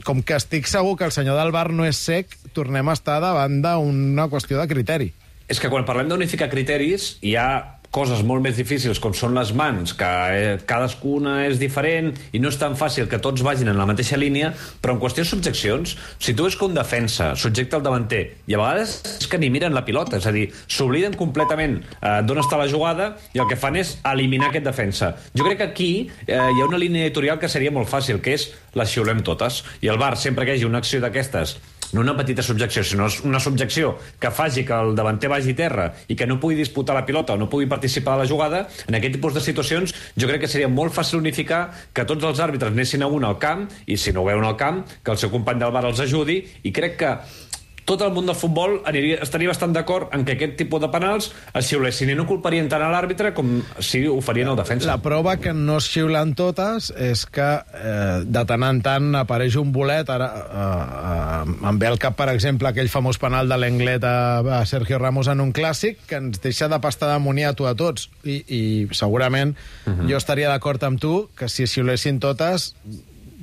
com que estic segur que el senyor del V A R no és cec, tornem a estar davant d'una qüestió de criteri. És que quan parlem d'unificar criteris, hi ha coses molt més difícils, com són les mans, que eh, cadascuna és diferent i no és tan fàcil que tots vagin en la mateixa línia, però en qüestió de subjeccions, si tu veus que un defensa subjecta el davanter, i a vegades és que ni miren la pilota, és a dir, s'obliden completament eh, d'on està la jugada i el que fan és eliminar aquest defensa. Jo crec que aquí eh, hi ha una línia editorial que seria molt fàcil, que és les xiulem totes, i el V A R, sempre que hi hagi una acció d'aquestes, no una petita subjecció, sinó una subjecció que faci que el davanter vagi a terra i que no pugui disputar la pilota o no pugui participar de la jugada, en aquest tipus de situacions jo crec que seria molt fàcil unificar que tots els àrbitres anessin a un al camp i, si no ho veuen al camp, que el seu company del V A R els ajudi, i crec que tot el món del futbol aniria, estaria bastant d'acord en que aquest tipus de penals es xiulessin i no culparien tant a l'àrbitre com si ho farien el defensa. La prova que no es xiulen totes és que eh, de tant en tant apareix un bolet. Ara eh, eh, em ve al cap, per exemple, aquell famós penal de l'Englet a, a Sergio Ramos en un clàssic que ens deixa de pastar d'amoniato a tots, i, i segurament uh-huh. jo estaria d'acord amb tu que si es xiulessin totes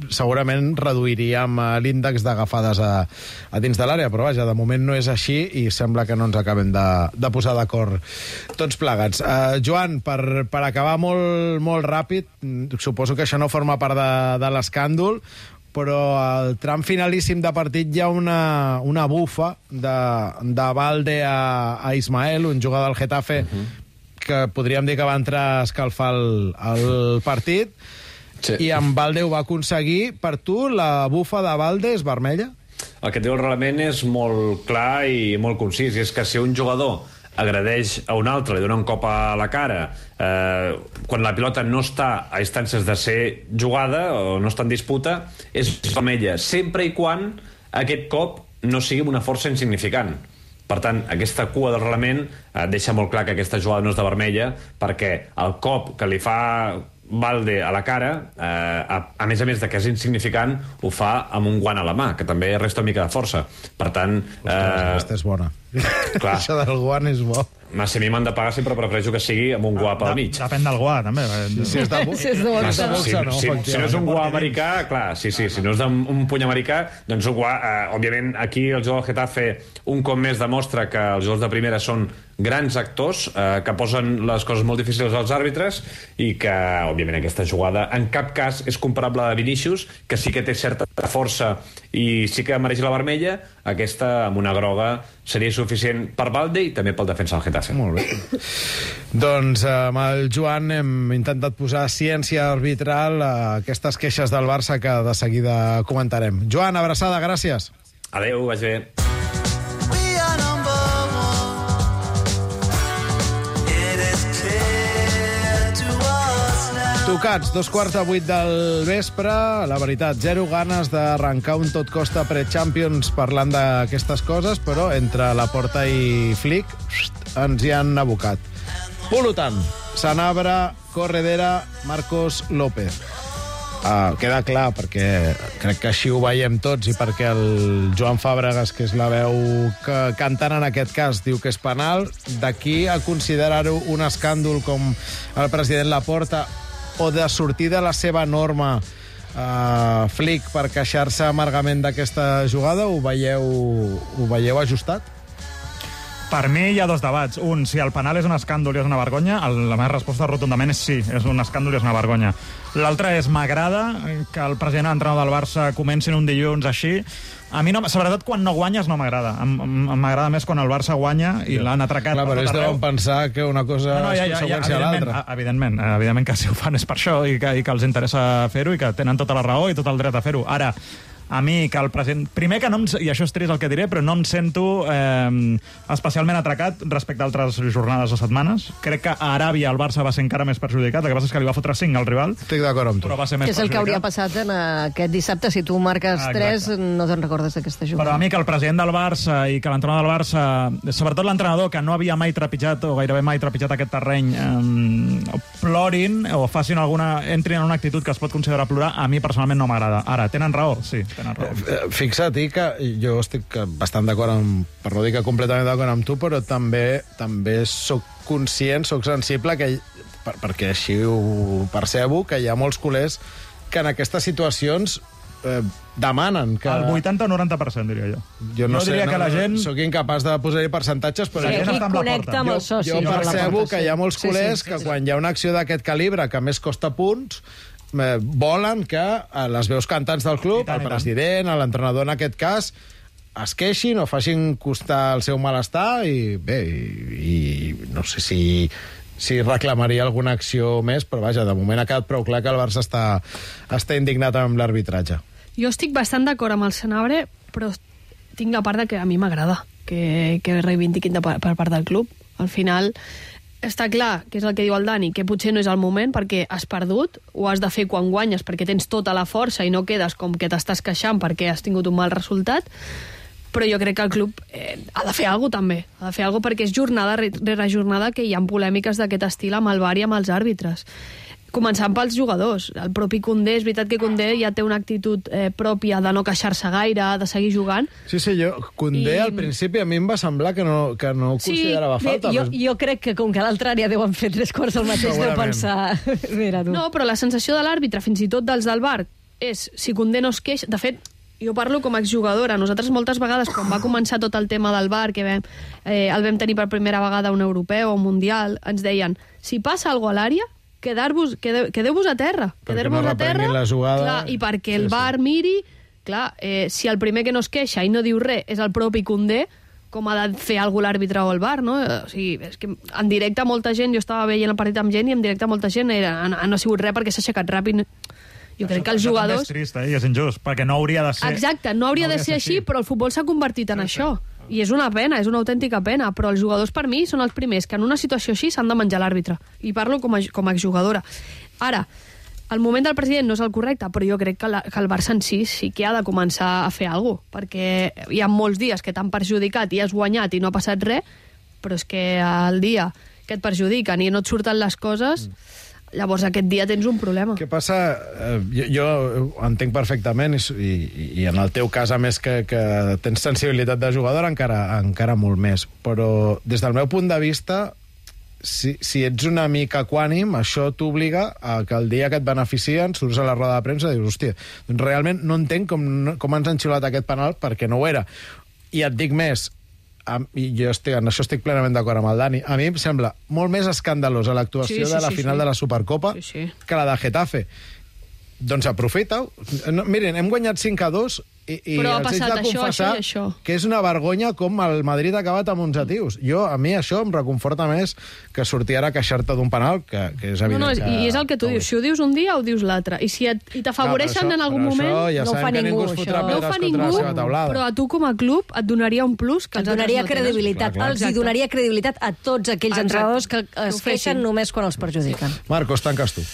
segurament reduiríem l'índex d'agafades a, a dins de l'àrea, però vaja, de moment no és així i sembla que no ens acabem de, de posar d'acord tots plegats. Uh, Joan, per, per acabar molt, molt ràpid, suposo que això no forma part de, de l'escàndol, però al tram finalíssim de partit hi ha una, una bufa de, de Valde a, a Ismael, un jugador del Getafe, uh-huh. que podríem dir que va entrar a escalfar el, el partit. Sí. I en Valde ho va aconseguir. Per tu, la bufa de Valde és vermella? El que et diu el reglament és molt clar i molt concís, i és que si un jugador agredeix a un altre, li dona un cop a la cara, eh, quan la pilota no està a instàncies de ser jugada o no està en disputa, és vermella, sempre i quan aquest cop no sigui una força insignificant. Per tant, aquesta cua del reglament eh, deixa molt clar que aquesta jugada no és de vermella, perquè el cop que li fa Valde a la cara, eh, a, a més a més de que és insignificant, ho fa amb un guant a la mà, que també resta una mica de força. Per tant... Ostres, eh, aquesta és bona. Clar. Això del guant és bo. Ma, si a mi m'han de pagar, sempre prefereixo que sigui amb un guà pel mig. Depèn del guà, també. Si, si és de, bo... si és de boxa, no. Si, no, si, si no és un guà americà, clar, sí, sí, si no és un puny americà, doncs un guà... Eh, òbviament, aquí el jugador del Getafe un cop més demostra que els jugadors de primera són grans actors, eh, que posen les coses molt difícils als àrbitres, i que, òbviament, aquesta jugada en cap cas és comparable a Vinícius, que sí que té certa força i sí que mereix la vermella. Aquesta, amb una groga, seria suficient per Valde i també pel defensa del Getafe. Molt bé. Doncs amb el Joan hem intentat posar ciència arbitral a aquestes queixes del Barça que de seguida comentarem. Joan, abraçada, gràcies. Adéu, vaig bé. Tocats, dos quarts de vuit del vespre. La veritat, zero ganes d'arrencar un tot costa pre-Champions parlant d'aquestes coses, però entre la Porta i Flick ens hi han abocat. Per tant, Sanabra, Corredera, Marcos López. Uh, queda clar, perquè crec que així ho veiem tots i perquè el Joan Fàbregas, que és la veu que cantant en aquest cas, diu que és penal. D'aquí a considerar-ho un escàndol com el president Laporta, o de sortir de la seva norma uh, Flick per queixar-se amargament d'aquesta jugada, ho veieu, ho veieu ajustat? Per mi hi ha dos debats. Un, si el penal és un escàndol i és una vergonya, el, la meva resposta rotundament és sí, és un escàndol i és una vergonya. L'altre és, m'agrada que el president entrenador del Barça comenci un dilluns així. A mi, no, sobretot quan no guanyes, no m'agrada. M'agrada més quan el Barça guanya i l'han atracat. Clar, però ells deuen pensar que una cosa no, no, ja, és ja, conseqüència ja, a l'altra. Evidentment, evidentment que si ho fan és per això i que, i que els interessa fer-ho i que tenen tota la raó i tot el dret a fer-ho. Ara, a mi, que el president... Primer que no em... I això és trist el que diré, però no em sento eh, especialment atracat respecte a altres jornades o setmanes. Crec que a Aràbia el Barça va ser encara més perjudicat. El que passa és que li va fotre cinc al rival. Estic d'acord amb tu. Però va ser més que és el que hauria passat en aquest dissabte. Si tu marques ah, tres, no te'n recordes d'aquesta jugada. Però a mi que el president del Barça i que l'entrenador del Barça, sobretot l'entrenador, que no havia mai trepitjat o gairebé mai trepitjat aquest terreny, eh, plorin o facin alguna... entrin en una actitud que es pot considerar plorar, a mi personalment no m'agrada. Ara, tenen raó? Sí. tenen raó. Fixa't que jo estic bastant d'acord amb, per no dir que completament d'acord amb tu, però també també sóc conscient, sóc sensible, que, per, perquè així ho percebo, que hi ha molts culers que en aquestes situacions eh, demanen que... El vuitanta o noranta per cent, diria jo. Jo no, jo sé, diria no, que la gent... Sóc incapaç de posar-hi percentatges, però... Sí, aquí connecta amb els socis. Jo, jo percebo que hi ha molts Sí, sí, culers sí, sí, que sí. quan hi ha una acció d'aquest calibre, que més costa punts, eh, volen que eh, les veus cantants del club, tant, el president, l'entrenador en aquest cas, es queixin o facin costar el seu malestar i, bé, i, i no sé si si reclamaria alguna acció més, però vaja, de moment ha quedat prou clar que el Barça està, està indignat amb l'arbitratge. Jo estic bastant d'acord amb el Senabre, però tinc la part de que a mi m'agrada que, que reivindiquin de, per part del club. Al final, està clar, que és el que diu el Dani, que potser no és el moment perquè has perdut, ho has de fer quan guanyes perquè tens tota la força i no quedes com que t'estàs queixant perquè has tingut un mal resultat, però jo crec que el club eh, ha de fer alguna cosa també, ha de fer alguna cosa perquè és jornada rere jornada que hi ha polèmiques d'aquest estil amb el V A R i amb els àrbitres. Començant pels jugadors. El propi Koundé, és veritat que Koundé ja té una actitud eh, pròpia de no queixar-se gaire, de seguir jugant. Sí, sí, jo, Koundé I... al principi a mi em va semblar que no, que no ho Sí, considerava falta. jo, jo crec que com que a l'altra àrea deuen fer tres quarts del mateix, deu pensar... Mira, tu. No, però la sensació de l'àrbitre, fins i tot dels del V A R, és si Koundé no es queixa... De fet, jo parlo com a exjugadora. Nosaltres moltes vegades, quan va començar tot el tema del V A R, que vam, eh, el vam tenir per primera vegada un europeu o un mundial, ens deien, si passa alguna cosa a l'àrea, quedar-vos, quedeu, quedeu-vos a terra. Quedeu-vos no a terra, la jugada. clar, i perquè el sí, V A R sí. miri, clar, eh, si el primer que no es queixa i no diu res és el propi Koundé, com ha de fer alguna l'àrbitre o el V A R, no? O sigui, és que en directe molta gent, jo estava veient el partit amb gent i en directe molta gent era, no ha sigut res perquè s'ha aixecat ràpid. Jo crec que els jugadors... És trist, eh? I és injust, perquè no hauria de ser... Exacte, no hauria, no hauria de ser així, així, però el futbol s'ha convertit en sí, això. Sí. I és una pena, és una autèntica pena, però els jugadors per mi són els primers que en una situació així s'han de menjar l'àrbitre. I parlo com a, com a exjugadora. Ara, el moment del president no és el correcte, però jo crec que, la, que el Barça en si sí que ha de començar a fer alguna cosa, perquè hi ha molts dies que t'han perjudicat i has guanyat i no ha passat res, però és que el dia que et perjudiquen i no et surten les coses... Mm. Llavors aquest dia tens un problema. Què passa? Eh, jo, jo entenc perfectament, i, i, i en el teu cas, a més, que, que tens sensibilitat de jugador, encara, encara molt més. Però des del meu punt de vista, si, si ets una mica equànim, això t'obliga a que el dia que et beneficien surts a la roda de premsa i dius, hòstia, doncs realment no entenc com, com ens han xiulat aquest penal perquè no ho era. I et dic més, i jo estic, en això estic plenament d'acord amb el Dani. A mi em sembla molt més escandalosa l'actuació sí, sí, de la sí, final sí. de la Supercopa sí, sí. que la de Getafe. Doncs aprofita-ho. No, miren, hem guanyat cinc a dos i, i però ha els passat haig de confessar això, això, això. que és una vergonya com el Madrid ha acabat amb onze tios. Jo, a mi això em reconforta més que sortir ara a queixar-te d'un penal, que, que és evident no, no, que... I és el que tu dius, si ho dius un dia o dius l'altre. I si t'afavoreixen no, en algun moment, ja no ho fa ningú. Això. No ho fa ningú, però a tu com a club et donaria un plus que et donaria credibilitat. Clar, clar. Els hi donaria credibilitat a tots aquells entrenadors que es queixen només quan els perjudiquen. Marcos, tanques tu.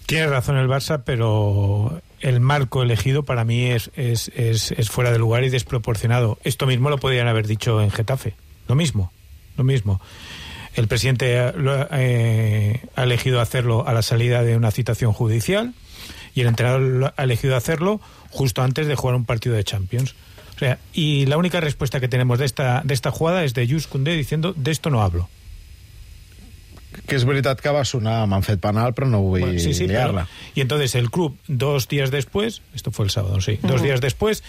Tienes razón el Barça, pero el marco elegido para mí es, es, es, es fuera de lugar y desproporcionado. Esto mismo lo podrían haber dicho en Getafe. Lo mismo, lo mismo. El presidente ha, eh, ha elegido hacerlo a la salida de una citación judicial y el entrenador ha elegido hacerlo justo antes de jugar un partido de Champions. O sea, y la única respuesta que tenemos de esta, de esta jugada es de Jules Koundé diciendo, de esto no hablo. Que és veritat que va sonar, m'han fet penal, però no vull bueno, sí, sí, liar-la. Y entonces el club, dos días después, esto fue el sábado, sí, uh-huh. dos días después,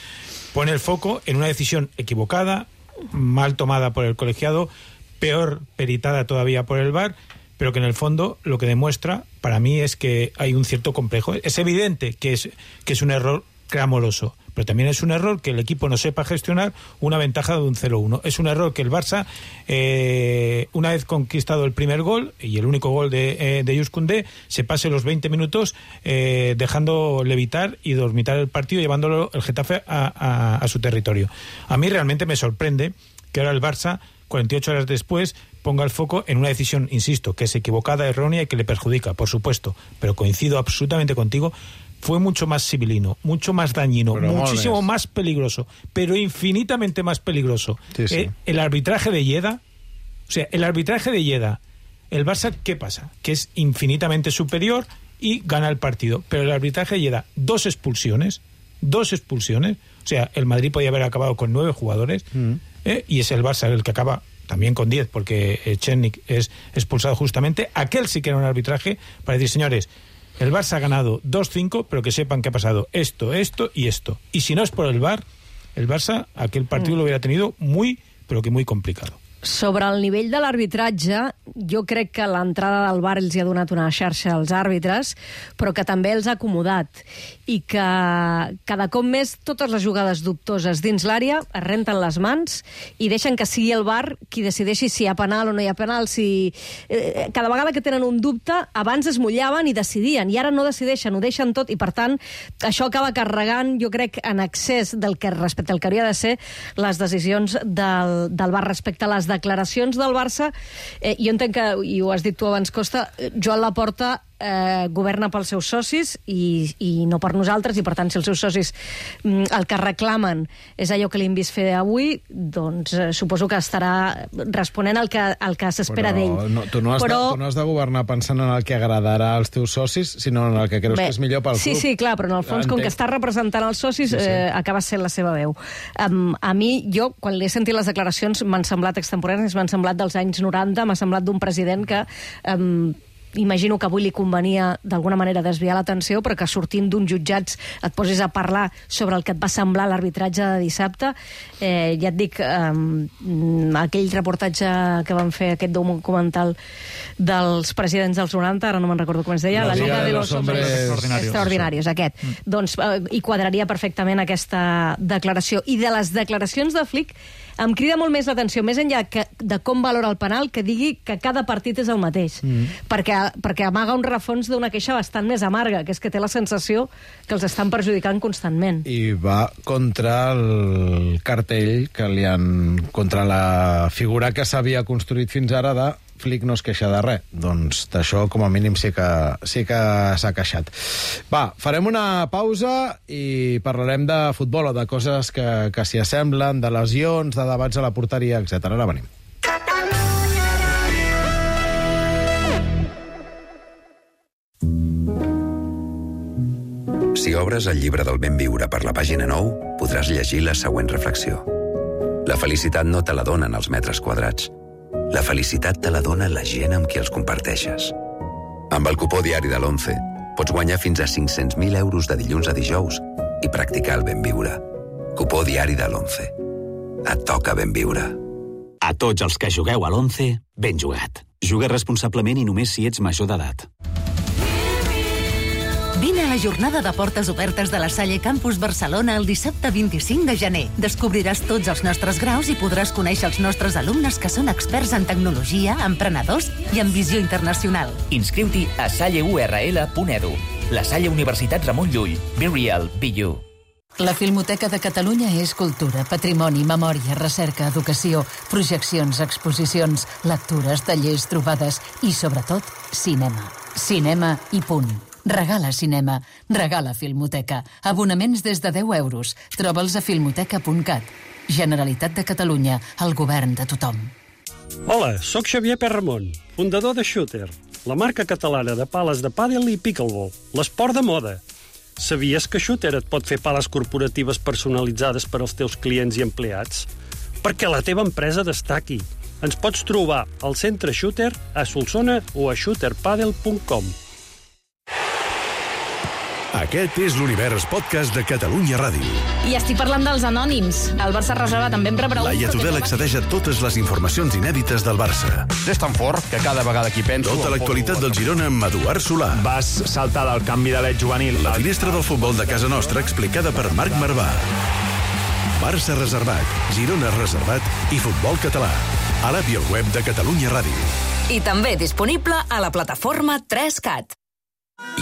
pone el foco en una decisión equivocada, mal tomada por el colegiado, peor peritada todavía por el V A R, pero que en el fondo lo que demuestra, para mí, es que hay un cierto complejo. Es evidente que es, que es un error clamoroso, pero también es un error que el equipo no sepa gestionar una ventaja de un cero uno. Es un error que el Barça, eh, una vez conquistado el primer gol, y el único gol de, eh, de Jules Koundé, se pase los veinte minutos eh, dejando levitar y dormitar el partido, llevándolo el Getafe a, a, a su territorio. A mí realmente me sorprende que ahora el Barça, cuarenta y ocho horas después, ponga el foco en una decisión, insisto, que es equivocada, errónea y que le perjudica, por supuesto, pero coincido absolutamente contigo, fue mucho más sibilino, mucho más dañino, pero muchísimo más peligroso, pero infinitamente más peligroso. Sí, sí. Eh, el arbitraje de Lleida, o sea, el arbitraje de Lleida, el Barça, ¿qué pasa? Que es infinitamente superior y gana el partido, pero el arbitraje de Lleida, dos expulsiones, dos expulsiones. O sea, el Madrid podía haber acabado con nueve jugadores mm. ¿eh? y es el Barça el que acaba también con diez, porque Chernik es expulsado justamente. Aquel sí que era un arbitraje para decir, señores, el Barça ha ganado dos cinco, pero que sepan que ha pasado esto, esto y esto. Y si no es por el V A R, el Barça aquel partido mm. lo hubiera tenido muy, pero que muy complicado. Sobre el nivell de l'arbitratge, jo crec que l'entrada del V A R els hi ha donat una xarxa als àrbitres, però que també els ha acomodat, i que cada cop més totes les jugades dubtoses dins l'àrea es renten les mans i deixen que sigui el V A R qui decideixi si hi ha penal o no hi ha penal. Si... Eh, cada vegada que tenen un dubte, abans es mullaven i decidien, i ara no decideixen, ho deixen tot, i per tant això acaba carregant, jo crec, en excés del que respecte al que hauria de ser les decisions del, del V A R respecte a les declaracions del Barça. Eh, jo entenc que, i ho has dit tu abans, Costa, Joan Laporta eh, governa pels seus socis i, i no per nosaltres, i per tant, si els seus socis mm, el que reclamen és allò que li hem vist fer avui, doncs eh, suposo que estarà responent al que, al que s'espera d'ell. No, tu, no has però... de, tu no has de governar pensant en el que agradarà als teus socis, sinó en el que creus Bé, que és millor pel sí, club. Sí, sí, clar, però en el fons, Entenc. com que està representant els socis, sí, sí. Eh, acaba sent la seva veu. Um, a mi, jo, quan l'he sentit les declaracions, m'han semblat extemporànies, m'han semblat dels anys noranta, m'ha semblat d'un president que... Um, imagino que avui li convenia d'alguna manera desviar l'atenció, però que sortint d'uns jutjats et posis a parlar sobre el que et va semblar l'arbitratge de dissabte. Eh, ja et dic, eh, aquell reportatge que van fer, aquest documental dels presidents dels noranta, ara no me'n recordo com es deia, la, la Liga de los Hombres Extraordinarios, extraordinarios aquest. Mm. Doncs eh, hi quadraria perfectament aquesta declaració. I de les declaracions de Flick em crida molt més l'atenció, més enllà que, de com valora el penal, que digui que cada partit és el mateix. Mm. Perquè, perquè amaga un refons d'una queixa bastant més amarga, que és que té la sensació que els estan perjudicant constantment. I va contra el cartell que li han... contra la figura que s'havia construït fins ara de Flick no es queixa de res. Doncs d'això, com a mínim, sí que sí que s'ha queixat. Va, farem una pausa i parlarem de futbol o de coses que, que s'hi assemblen, de lesions, de debats a la porteria, etcètera. Ara venim. Si obres el llibre del ben viure per la pàgina nou, podràs llegir la següent reflexió. La felicitat no te la donen els metres quadrats. La felicitat te la dona la gent amb qui els comparteixes. Amb el cupó diari de l'Once pots guanyar fins a cinc-cents mil euros de dilluns a dijous i practicar el ben viure. Cupó diari de l'Once. Et toca ben viure. A tots els que jugueu a l'Once, ben jugat. Juga responsablement i només si ets major d'edat. Vine a la jornada de portes obertes de la Salle Campus Barcelona el dissabte vint-i-cinc de gener. Descobriràs tots els nostres graus i podràs conèixer els nostres alumnes que són experts en tecnologia, emprenedors i en visió internacional. Inscriu-t'hi a salle u erre ele punt edu. La Salle Universitat Ramon Llull. Be real, be you. La Filmoteca de Catalunya és cultura, patrimoni, memòria, recerca, educació, projeccions, exposicions, lectures, tallers, trobades i, sobretot, cinema. Cinema i punt. Regala cinema, regala Filmoteca. Abonaments des de deu euros. Troba'ls a filmoteca punt cat. Generalitat de Catalunya, el govern de tothom. Hola, sóc Xavier Perramon, fundador de Shooter, la marca catalana de pales de pàdel i pickleball, l'esport de moda. Sabies que Shooter et pot fer pales corporatives personalitzades per als teus clients i empleats? Perquè la teva empresa destaqui. Ens pots trobar al centre Shooter, a Solsona o a shooter padel punt com. Aquest és l'Univers Podcast de Catalunya Ràdio. I estic parlant dels anònims. El Barça reserva també em rebrà un... Laia Tudel accedeix a totes les informacions inèdites del Barça. És tan fort que cada vegada que hi penso... Tota l'actualitat del Girona amb Eduard Solà. Vas saltar del canvi de l'et juvenil. La finestra del futbol de casa nostra explicada per Marc Marvà. Barça reservat, Girona reservat i futbol català. A l'app i al web de Catalunya Ràdio. I també disponible a la plataforma tres cat.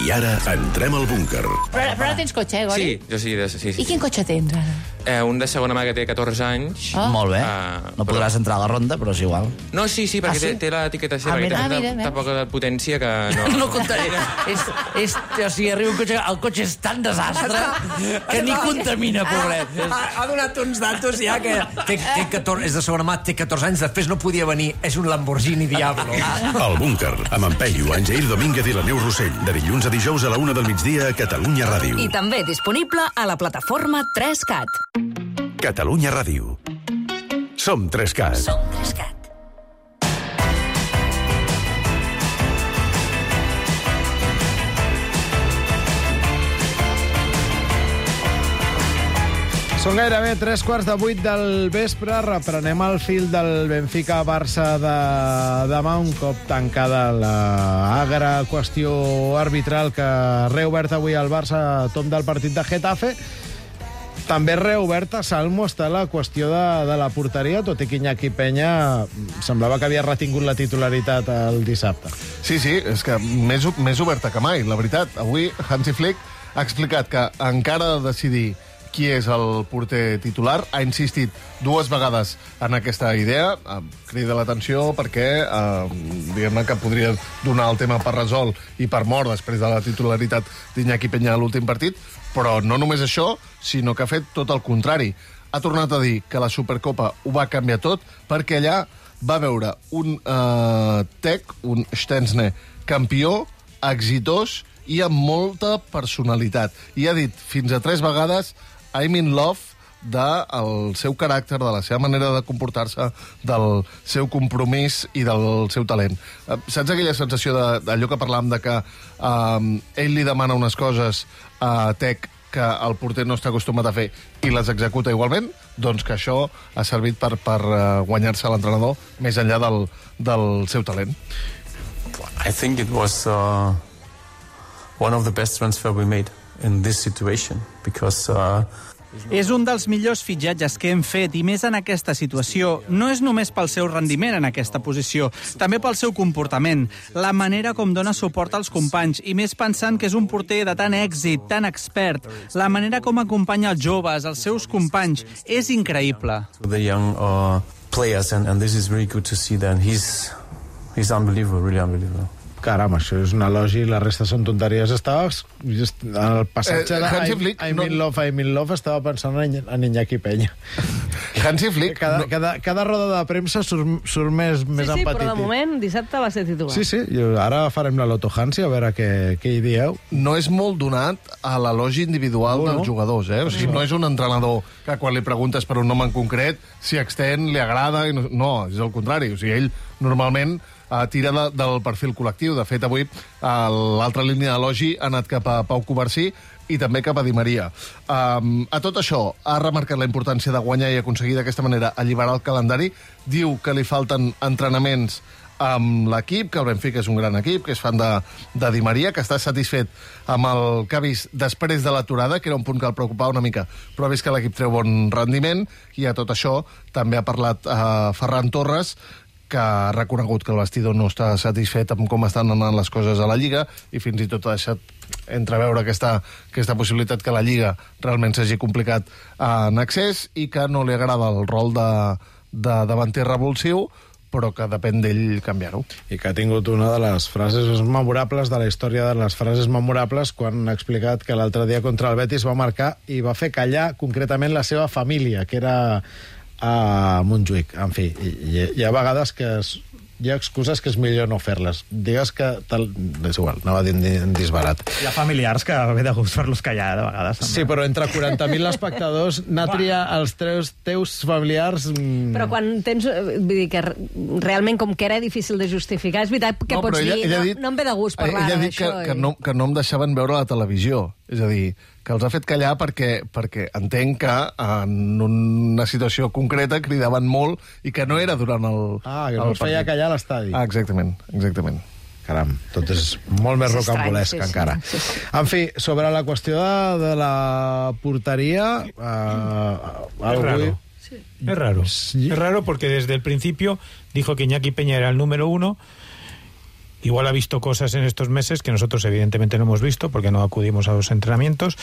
I ara entrem al búnquer. Però, però no tens cotxe, eh, Gori? Sí, jo sí, sí, sí. I quin cotxe tens, ara? Eh, un de segona mà que té catorze anys. Ah. Molt bé. Uh, no podràs però... entrar a la ronda, però és igual. No, sí, sí, perquè ah, sí? té, té l'etiqueta seva, ah, que té ah, mira, tanta mira. poca potència que no... no comptaria. és, és, o sigui, arriba un cotxe, el cotxe és tan desastre que ni contamina, pobret. Ha, ha donat uns datos ja que té, té catorze, és de segona mà, té catorze anys, després no podia venir, és un Lamborghini Diablo. El Búnquer, amb en Peyu, en Jair Domínguez i la Neus Rossell, de dilluns a dijous a la una del migdia a Catalunya Ràdio. I també disponible a la plataforma tres cat. Catalunya Ràdio. Som tres cat. Som tres cat. Són gairebé tres quarts de vuit del vespre. Reprenem el fil del Benfica-Barça de demà, un cop tancada l'agra qüestió arbitral que ha reobert avui el Barça a tom del partit de Getafe. També reoberta, Salmo, està la qüestió de, de la porteria, tot i que Iñaki Peña semblava que havia retingut la titularitat el dissabte. Sí, sí, és que més, més oberta que mai, la veritat. Avui Hansi Flick ha explicat que encara ha de decidir qui és el porter titular. Ha insistit dues vegades en aquesta idea. Crida l'atenció perquè eh, diguem-ne que podria donar el tema per resolt i per mort després de la titularitat d'Iñaki Peña a l'últim partit, però no només això, sinó que ha fet tot el contrari. Ha tornat a dir que la Supercopa ho va canviar tot perquè allà va veure un eh, Tec, un Stensne campió, exitós i amb molta personalitat. I ha dit fins a tres vegades I'm in love del seu caràcter, de la seva manera de comportar-se, del seu compromís i del seu talent. Saps aquella sensació d'allò que parlàvem de que um, ell li demana unes coses a Tec que el porter no està acostumat a fer i les executa igualment? Doncs que això ha servit per, per guanyar-se l'entrenador més enllà del, del seu talent. I think it was uh, one of the best transfer we made in this situation, because uh, és un dels millors fitxatges que hem fet, i més en aquesta situació. No és només pel seu rendiment en aquesta posició, també pel seu comportament, la manera com dona suport als companys, i més pensant que és un porter de tant èxit, tan expert, la manera com acompanya els joves, els seus companys, és increïble. The young uh, players, and, and this is really good to see that. He's, he's unbelievable, really unbelievable. Caram, això és un elogi, la resta són tonteries. Estava en el passatge eh, de Hansi I'm, Flick, I'm no... in love, I'm in love, estava pensant en, en Iñaki Peña. Hansi Flick... Cada, no... cada, cada roda de premsa surt, surt més, sí, més sí, empatit. Però de moment dissabte va ser titular. Sí, sí, ara farem la Loto Hansi, a veure què, què hi dieu. No és molt donat a l'elogi individual no, dels no. jugadors, eh? O sigui, no. no és un entrenador que quan li preguntes per un nom en concret, si extén, li agrada... I no, no, és el contrari. O sigui, ell normalment Uh, tira de, del perfil col·lectiu. De fet, avui uh, l'altra línia d'elogi ha anat cap a Pau Covarsí i també cap a Di Maria. Um, a tot això, ha remarcat la importància de guanyar i aconseguir d'aquesta manera alliberar el calendari. Diu que li falten entrenaments amb l'equip, que el Benfica és un gran equip, que és fan de, de Di Maria, que està satisfet amb el que ha vist després de l'aturada, que era un punt que el preocupava una mica, però ha vist que l'equip treu bon rendiment, i a tot això també ha parlat uh, Ferran Torres, que ha reconegut que el vestidor no està satisfet amb com estan anant les coses a la Lliga i fins i tot ha deixat entreveure aquesta, aquesta possibilitat que la Lliga realment s'hagi complicat en accés i que no li agrada el rol de, de davanter revulsiu, però que depèn d'ell canviar-ho. I que ha tingut una de les frases més memorables de la història de les frases memorables quan ha explicat que l'altre dia contra el Betis va marcar i va fer callar concretament la seva família, que era a Montjuïc. En fi, hi, hi ha vegades que es, hi ha excuses que és millor no fer-les. Digues que... Tal, és igual, anava a dir en disbarat. Hi ha familiars que ve de gust fer-los callar, de vegades. També. Sí, però entre quaranta mil espectadors, anar a triar els teus, teus familiars... Però quan tens... Vull dir que realment, com que era difícil de justificar, és veritat que no, pots ella, dir... Ella no, dit, no em ve de gust parlar d'això. Ella ha dit que, i... que, no, que no em deixaven veure la televisió. És a dir, que els ha fet callar perquè, perquè entenc que en una situació concreta cridaven molt i que no era durant el Ah, que no els feia callar a l'estadi. Ah, exactament, exactament. Caram, tot és molt més rocambolesc, sí, sí, encara. Sí, sí. En fi, sobre la qüestió de, de la porteria... Eh, es raro. Sí. Es raro. Sí. Es raro porque desde el principio dijo que Iñaki Peña era el número uno. Igual ha visto cosas en estos meses que nosotros evidentemente no hemos visto porque no acudimos a los entrenamientos,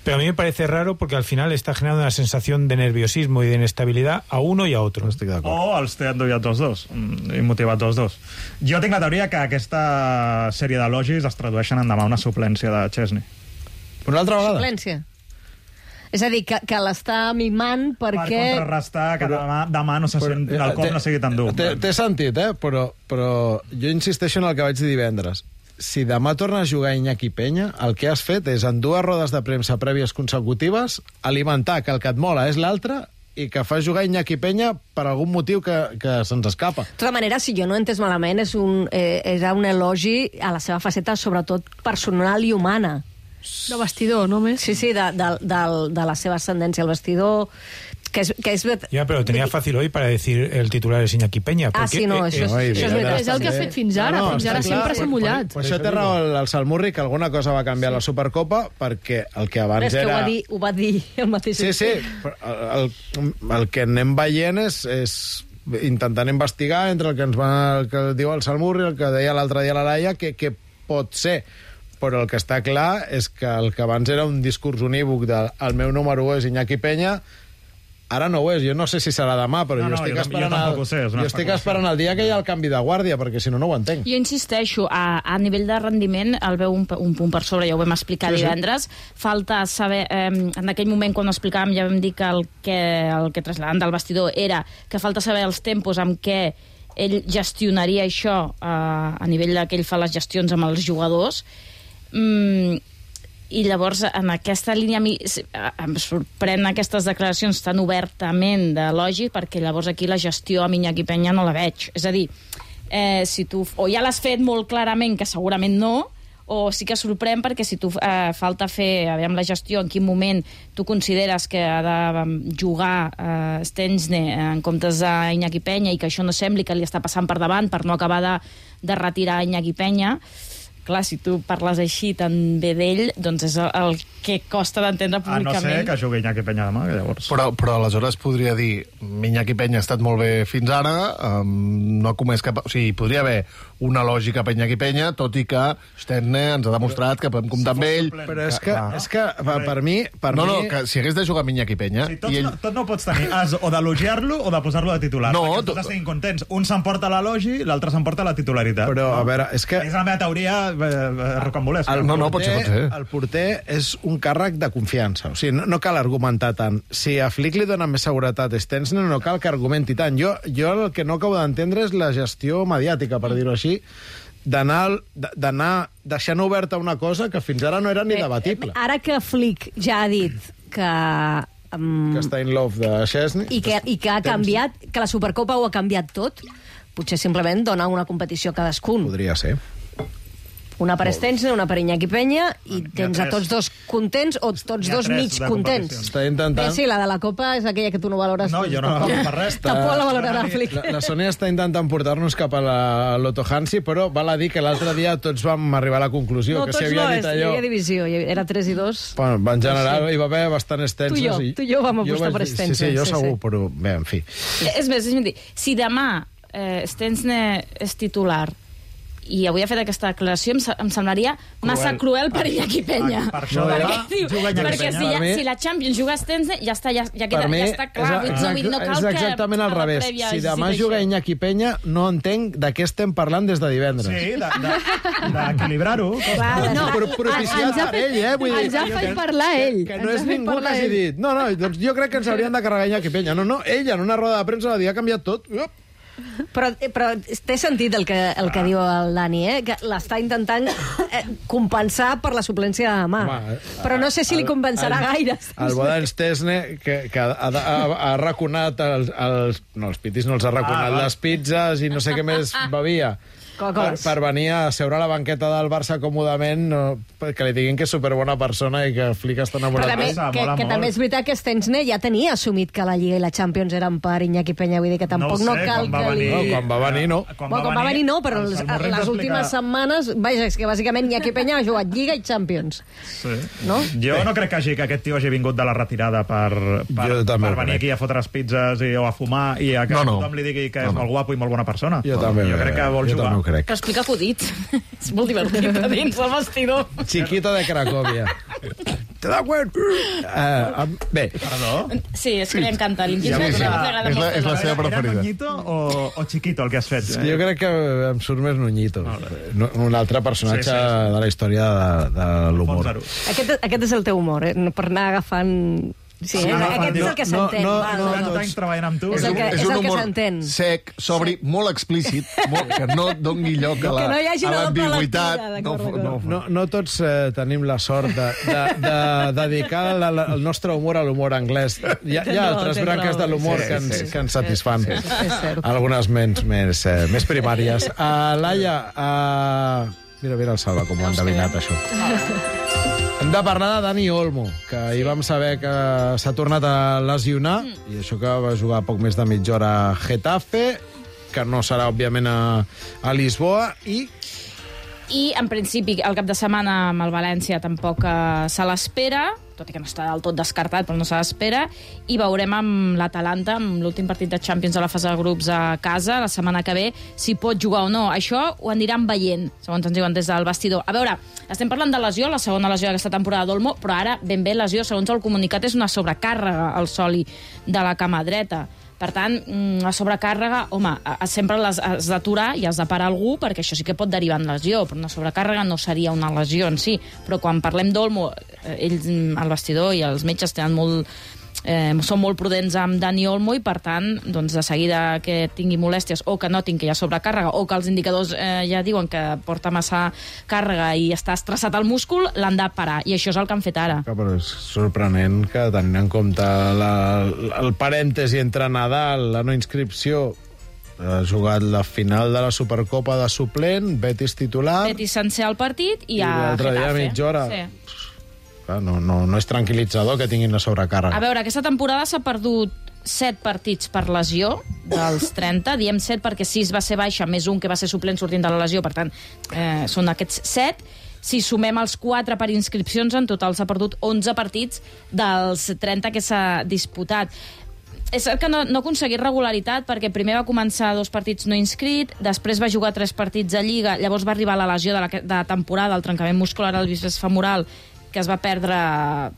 Pero a mí me parece raro porque al final está generando una sensación de nerviosismo y de inestabilidad a uno y a otro. Estic d'acord. O els té endoviat tots dos, mm, i motivat tots dos. Jo tinc la teoria que aquesta sèrie d'elogis es tradueixen en demà una suplència de Chesney. Una altra vegada? Suplència. És a dir, que, que l'està mimant perquè... Per contrarrestar que demà, demà no se sent, Però, el cop té- no sigui tan dur. Té, té sentit, eh? Però, però jo insisteixo en el que vaig dir divendres. Si demà torna a jugar Iñaki Peña, el que has fet és, en dues rodes de premsa prèvies consecutives, alimentar que el que et mola és l'altre i que fa jugar Iñaki Peña per algun motiu que, que se'ns escapa. De tota manera, si jo no he entès malament, és un, eh, era un elogi a la seva faceta, sobretot personal i humana. De vestidor, només. Sí, sí, de, de, de, de la seva ascendència al vestidor, que és... Que és... Ya, pero tenía fácil hoy para decir el titular es Iñaki Peña. Ah, sí, no, això és, Això és, veritat, és el que ha fet fins ara. Fins ara sempre s'ha mullat. Per això té raó el, el Salmurri, que alguna cosa va canviar a la Supercopa, perquè el que abans és que era... ho va, dir, ho va dir el mateix. Sí, sí, però el, el, el que anem veient és, és intentant investigar entre el que ens va, el que diu el Salmurri, el que deia l'altre dia la Laia, que, que pot ser. Però el que està clar és que el que abans era un discurs unívoc de el meu número u és Iñaki Peña, ara no ho és. Jo no sé si serà demà, però No, jo no, estic jo- esperant jo tampoc el, ho sé, és una jo estic especulació. esperant el dia que hi ha el canvi de guàrdia, perquè si no, no ho entenc. Jo insisteixo, a, a nivell de rendiment el veu un, un punt per sobre, ja ho vam explicar Sí, sí. divendres. Falta saber... Eh, en aquell moment, quan ho explicàvem, ja vam dir que el que, el que trasladàvem del vestidor era que falta saber els tempos amb què ell gestionaria això eh, a nivell de que ell fa les gestions amb els jugadors. Mm, i llavors en aquesta línia a mi s- a- em sorprèn aquestes declaracions tan obertament d'elogi, perquè llavors aquí la gestió amb Iñaki Peña no la veig. És a dir, eh, si tu o ja l'has fet molt clarament, que segurament no, o sí que sorprèn perquè si tu eh, falta fer, aviam la gestió, en quin moment tu consideres que ha de mm, jugar eh, Stensne en comptes d'Iñaki Peña i que això no sembli que li està passant per davant per no acabar de, de retirar Iñaki Peña. Clar, si tu parles així tan bé d'ell, doncs és el, el que costa d'entendre A no públicament. ser que jugui Iñaki Peña demà, que llavors... Però, però aleshores podria dir Iñaki Peña ha estat molt bé fins ara, um, no ha comès cap... O sigui, podria haver una lògica a Iñaki Peña, tot i que Sterne ens ha demostrat que podem comptar amb ell. Però és que, és que per, per mi... Per no, mi... no, que si hagués de jugar amb Iñaki Peña... Si tots, i ell... no, tot no ho pots tenir. Has o d'elogiar-lo o de posar-lo de titular. No, perquè tots estiguin contents. Un s'emporta l'elogi, l'altre s'emporta la titularitat. Però, a veure, és que... És la meva teoria eh, eh, rocambolesca. El porter, el porter és un càrrec de confiança. O sigui, no, no cal argumentar tant. Si a Flick li dona més seguretat a Stensner, no cal que argumenti tant. Jo, jo el que no acabo d'entendre és la gestió mediàtica, per dir-ho així, d'anar d'anar deixant oberta una cosa que fins ara no era ni debatible. Ara que Flick ja ha dit que... Um, Que està in love de Chesney. I que, i que ha canviat, que la Supercopa ho ha canviat tot, potser simplement dona una competició a cadascun. Podria ser. Una per Stensner, una per Iñaki Peña, i tens a tres. tots dos contents o tots Hi ha dos tres mig de contents. competicions. Està intentant- Bé, sí, la de la Copa és aquella que tu no valores. No, jo no la valoro per res. Tampoc la valorarà Flick. La, la Sònia està intentant portar-nos cap a la Lotto Hansi, però val a dir que l'altre dia tots vam arribar a la conclusió No, que tots si havia no, dit és, hi allò... havia divisió, hi havia- era tres i dos. Bueno, en general Sí. hi va haver bastant Stensner. Tu i jo, i- tu i jo vam jo apostar vaig per dir- Stensner, Sí, sí, jo sí, segur, sí. però bé, en fi. És més, deixa'm dir, si demà eh, Stensner és titular i avui ha fet aquesta declaració, em, se- em semblaria massa cruel per Iñaki Peña. Per això perquè, demà diu, juga Iñaki perquè Peña. si, Per ja, mi- si la Champions juga Stensner, ja està, ja, ja, queda, Per mi ja està clar. Vull dir, és, no, vull dir, no cal és exactament que al a la revés. prèvia Si hagi demà dit juga això. Iñaki Peña, no entenc de què estem parlant des de divendres. Sí, d'equilibrar-ho. No, però propiciat per ell, eh? Vull dir, Ens ha fet parlar ell. que no Ens és ha fet ningú que parlar hagi ell. dit. No, no, doncs jo crec que ens haurien de carregar Iñaki Peña. No, no, ell en una roda de premsa va dir ha canviat tot. Uop. Però, però té sentit el que, el que diu el Dani, eh? Que l'està intentant eh, compensar per la suplència de demà. Home, Però no sé si li el- compensarà el- gaire. El Bodan Stesne, que, que ha, ha, ha raconat els, els... No, els pitis no els ha raconat, Ah, val. les pizzas i no sé què més bevia. Per, Coca-Coles. per venir a seure a la banqueta del Barça còmodament, no, que li diguin que és superbona persona i que Flick està enamorat. Però també, que, que també és veritat que Stensner ja tenia assumit que la Lliga i la Champions eren per Iñaki Peña, vull dir que tampoc no, cal que li... No, quan va venir, no. Quan, Bueno, quan va venir no, però els, les últimes setmanes, vaja, és que bàsicament Iñaki Peña ha jugat Lliga i Champions. Sí. No? Jo no crec que, hagi, que aquest tio hagi vingut de la retirada per, per, Jo també per ho venir crec. aquí a fotre les pizzas i, o a fumar i a que No, no. tothom li digui que és molt guapo i molt bona persona. Jo també, jo crec que vol jo jugar. també ho crec. Que explica acudit. És molt divertit a dins el vestidor. Chiquito de Cracòvia. te da cuenta? Uh, bé. Perdó? Sí, és que li encanta. Li Ja és la seva preferida. Era Nuñito o, o Chiquito el que has fet? Eh? Jo crec que em surt més Nuñito. Un altre personatge sí, sí, sí. de la història de, de l'humor. Aquest, aquest és el teu humor, eh? Per anar agafant... Sí, sí, no, aquest és el que s'entén. No, no, no, no, anys treballant amb tu. És el que, és un és el que humor s'entén. sec, sobri, sí. molt explícit, molt, que no doni lloc a la, que no hi hagi a l'ambigüitat. No, no, no, no tots eh, tenim la sort de, de, de dedicar la, la, el nostre humor a l'humor anglès. Hi ha, hi ha altres no, branques de l'humor sí, que, ens, sí, sí. que ens satisfan. Sí, sí. Algunes menys, més, eh, més primàries. Uh, Laia, uh... mira, mira el Salva, com ho han endevinat, això. Hem de parlar de Dani Olmo, que ahir vam saber que s'ha tornat a lesionar, mm. i això que va jugar poc més de mitja hora a Getafe, que no serà, òbviament, a, a Lisboa, i... I, en principi, el cap de setmana amb el València tampoc eh, se l'espera, tot i que no està del tot descartat, però no se l'espera, i veurem amb l'Atalanta, amb l'últim partit de Champions de la fase de grups a casa, la setmana que ve, si pot jugar o no. Això ho aniran veient, segons ens diuen des del vestidor. A veure, estem parlant de lesió, la segona lesió d'aquesta temporada d'Olmo, però ara, ben bé, lesió, segons el comunicat, és una sobrecàrrega al soli de la cama dreta. Per tant, la sobrecàrrega, home, sempre has d'aturar i has de parar algú, perquè això sí que pot derivar en lesió, però una sobrecàrrega no seria una lesió en si. Però quan parlem d'Olmo, ells, el vestidor i els metges tenen molt... Eh, són molt prudents amb Dani Olmo i, per tant, doncs, de seguida que tingui molèsties o que notin que hi ha sobrecàrrega o que els indicadors eh, ja diuen que porta massa càrrega i està estressat el múscul, l'han de parar. I això és el que han fet ara. Que, però és sorprenent que, tenint en compte la, el parèntesi entre Nadal, la no inscripció, ha jugat la final de la Supercopa de suplent, Betis titular... Betis sencer al partit i, i a l'altre dia mitja hora... Sí. No, no, no és tranquil·litzador que tinguin la sobrecàrrega. A veure, aquesta temporada s'ha perdut set partits per lesió dels trenta. Diem set perquè sis va ser baixa, més un que va ser suplent sortint de la lesió. Per tant, eh, són aquests set. Si sumem els quatre per inscripcions, en total s'ha perdut onze partits dels trenta que s'ha disputat. És cert que no, no ha aconseguit regularitat perquè primer va començar dos partits no inscrit, després va jugar tres partits de Lliga, llavors va arribar la lesió de la, de la temporada, el trencament muscular al bíceps femoral, que es va perdre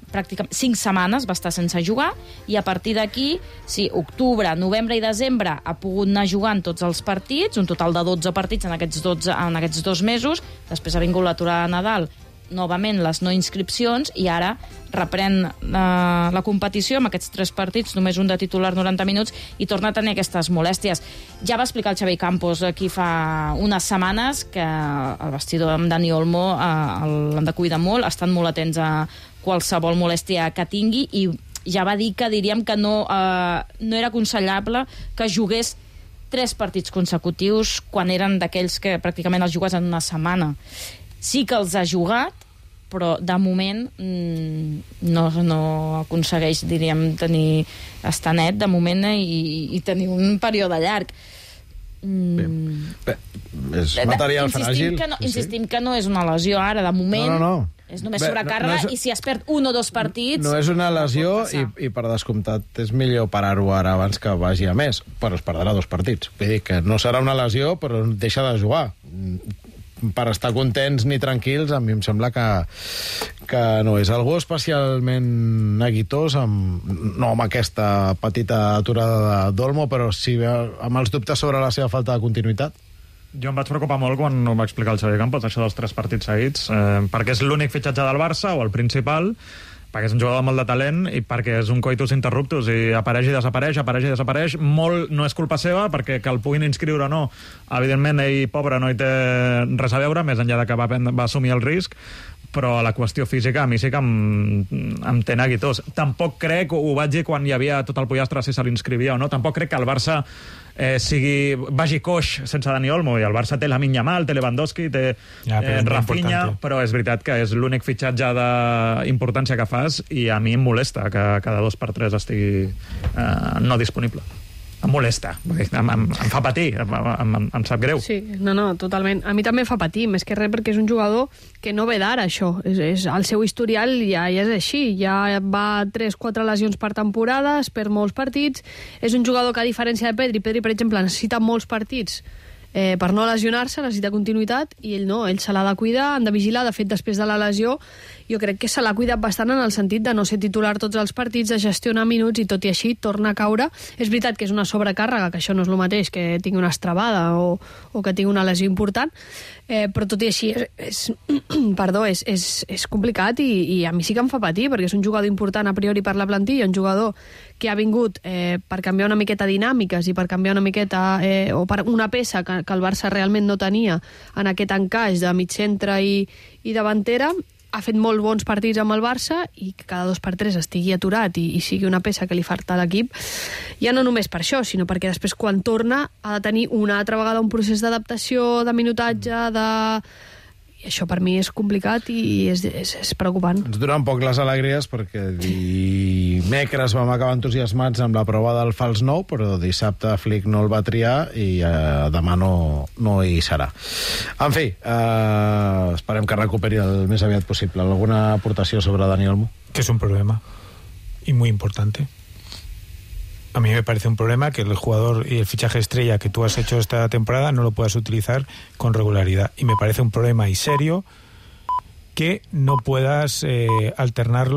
pràcticament cinc setmanes, va estar sense jugar, i a partir d'aquí, sí, octubre, novembre i desembre ha pogut anar jugant tots els partits, un total de dotze partits en aquests, dotze, en aquests dos mesos, després ha vingut l'aturada de Nadal, novament les no inscripcions, i ara reprèn la, la competició amb aquests tres partits, només un de titular noranta minuts, i torna a tenir aquestes molèsties. Ja va explicar el Xavi Campos aquí fa unes setmanes que el vestidor amb Dani Olmo eh, l'han de cuidar molt, estan molt atents a qualsevol molèstia que tingui, i ja va dir que diríem que no, eh, no era aconsellable que jugués tres partits consecutius quan eren d'aquells que pràcticament els jugues en una setmana. Sí que els ha jugat, però de moment no, no aconsegueix, diríem, tenir estar net de moment i, i tenir un període llarg. Mm. Bé, bé, és material insistim fràgil. Que no, insistim que no és una lesió ara, de moment. No, no, no. És només sobrecàrrega, no, no és, i si es perd un o dos partits... No és una lesió i, i per descomptat és millor parar-ho ara abans que vagi a més, però es perdrà dos partits. Vull dir que no serà una lesió, però deixa de jugar. Per estar contents ni tranquils, a mi em sembla que, que no és algú especialment neguitós, amb, no amb aquesta petita aturada d'Olmo, però sí amb els dubtes sobre la seva falta de continuïtat. Jo em vaig preocupar molt quan ho va explicar el Xavi Campos, això dels tres partits seguits, eh, perquè és l'únic fitxatge del Barça, o el principal, perquè és un jugador amb molt de talent i perquè és un coitus interruptus i apareix i desapareix, apareix i desapareix. Molt no és culpa seva, perquè que el puguin inscriure o no, evidentment ell, pobre, no hi té res a veure, més enllà de que va, va assumir el risc, però la qüestió física a mi sí que em, em té neguitós. Tampoc crec, ho vaig dir quan hi havia tot el pollastre si se l'inscrivia o no, tampoc crec que el Barça eh, sigui, vagi coix sense Dani Olmo, i el Barça té Lamine Yamal, té Lewandowski, té ja, eh, Rafinha, però és veritat que és l'únic fitxatge d'importància que fas, i a mi em molesta que cada dos per tres estigui eh, no disponible. Em molesta, em, em, em fa patir, em, em, em sap greu. Sí, no, no, totalment. A mi també fa patir, més que res perquè és un jugador que no ve d'ara, això. És, és, el seu historial ja, ja és així, ja va tres quatre lesions per temporada, es perd molts partits. És un jugador que, a diferència de Pedri, Pedri, per exemple, necessita molts partits eh, per no lesionar-se, necessita continuïtat, i ell no, ell se l'ha de cuidar, han de vigilar. De fet, després de la lesió, jo crec que se l'ha cuidat bastant en el sentit de no ser titular tots els partits, de gestionar minuts, i tot i així torna a caure. És veritat que és una sobrecàrrega, que això no és el mateix que tingui una estrabada o, o que tingui una lesió important, eh, però tot i així és, és, perdó, és, és, és complicat i, i a mi sí que em fa patir, perquè és un jugador important a priori per la plantilla, un jugador que ha vingut eh, per canviar una miqueta dinàmiques i per canviar una miqueta, eh, o per una peça que, que el Barça realment no tenia en aquest encaix de mig centre i, i davantera. Ha fet molt bons partits amb el Barça i que cada dos per tres estigui aturat i, i sigui una peça que li falta a l'equip, ja no només per això, sinó perquè després quan torna ha de tenir una altra vegada un procés d'adaptació, de minutatge, de... I això per mi és complicat i és, és, és preocupant. Ens duren poc les alegries perquè dimecres vam acabar entusiasmats amb la prova del fals nou, però dissabte Flick no el va triar i eh, demà no, no hi serà. En fi, eh, esperem que recuperi el més aviat possible. ¿Alguna aportació sobre Dani Olmo? Que es un problema y muy importante. A mí me parece un problema que el jugador y el fichaje estrella que tú has hecho esta temporada no lo puedas utilizar con regularidad. Y me parece un problema y serio que no puedas eh, alternarlo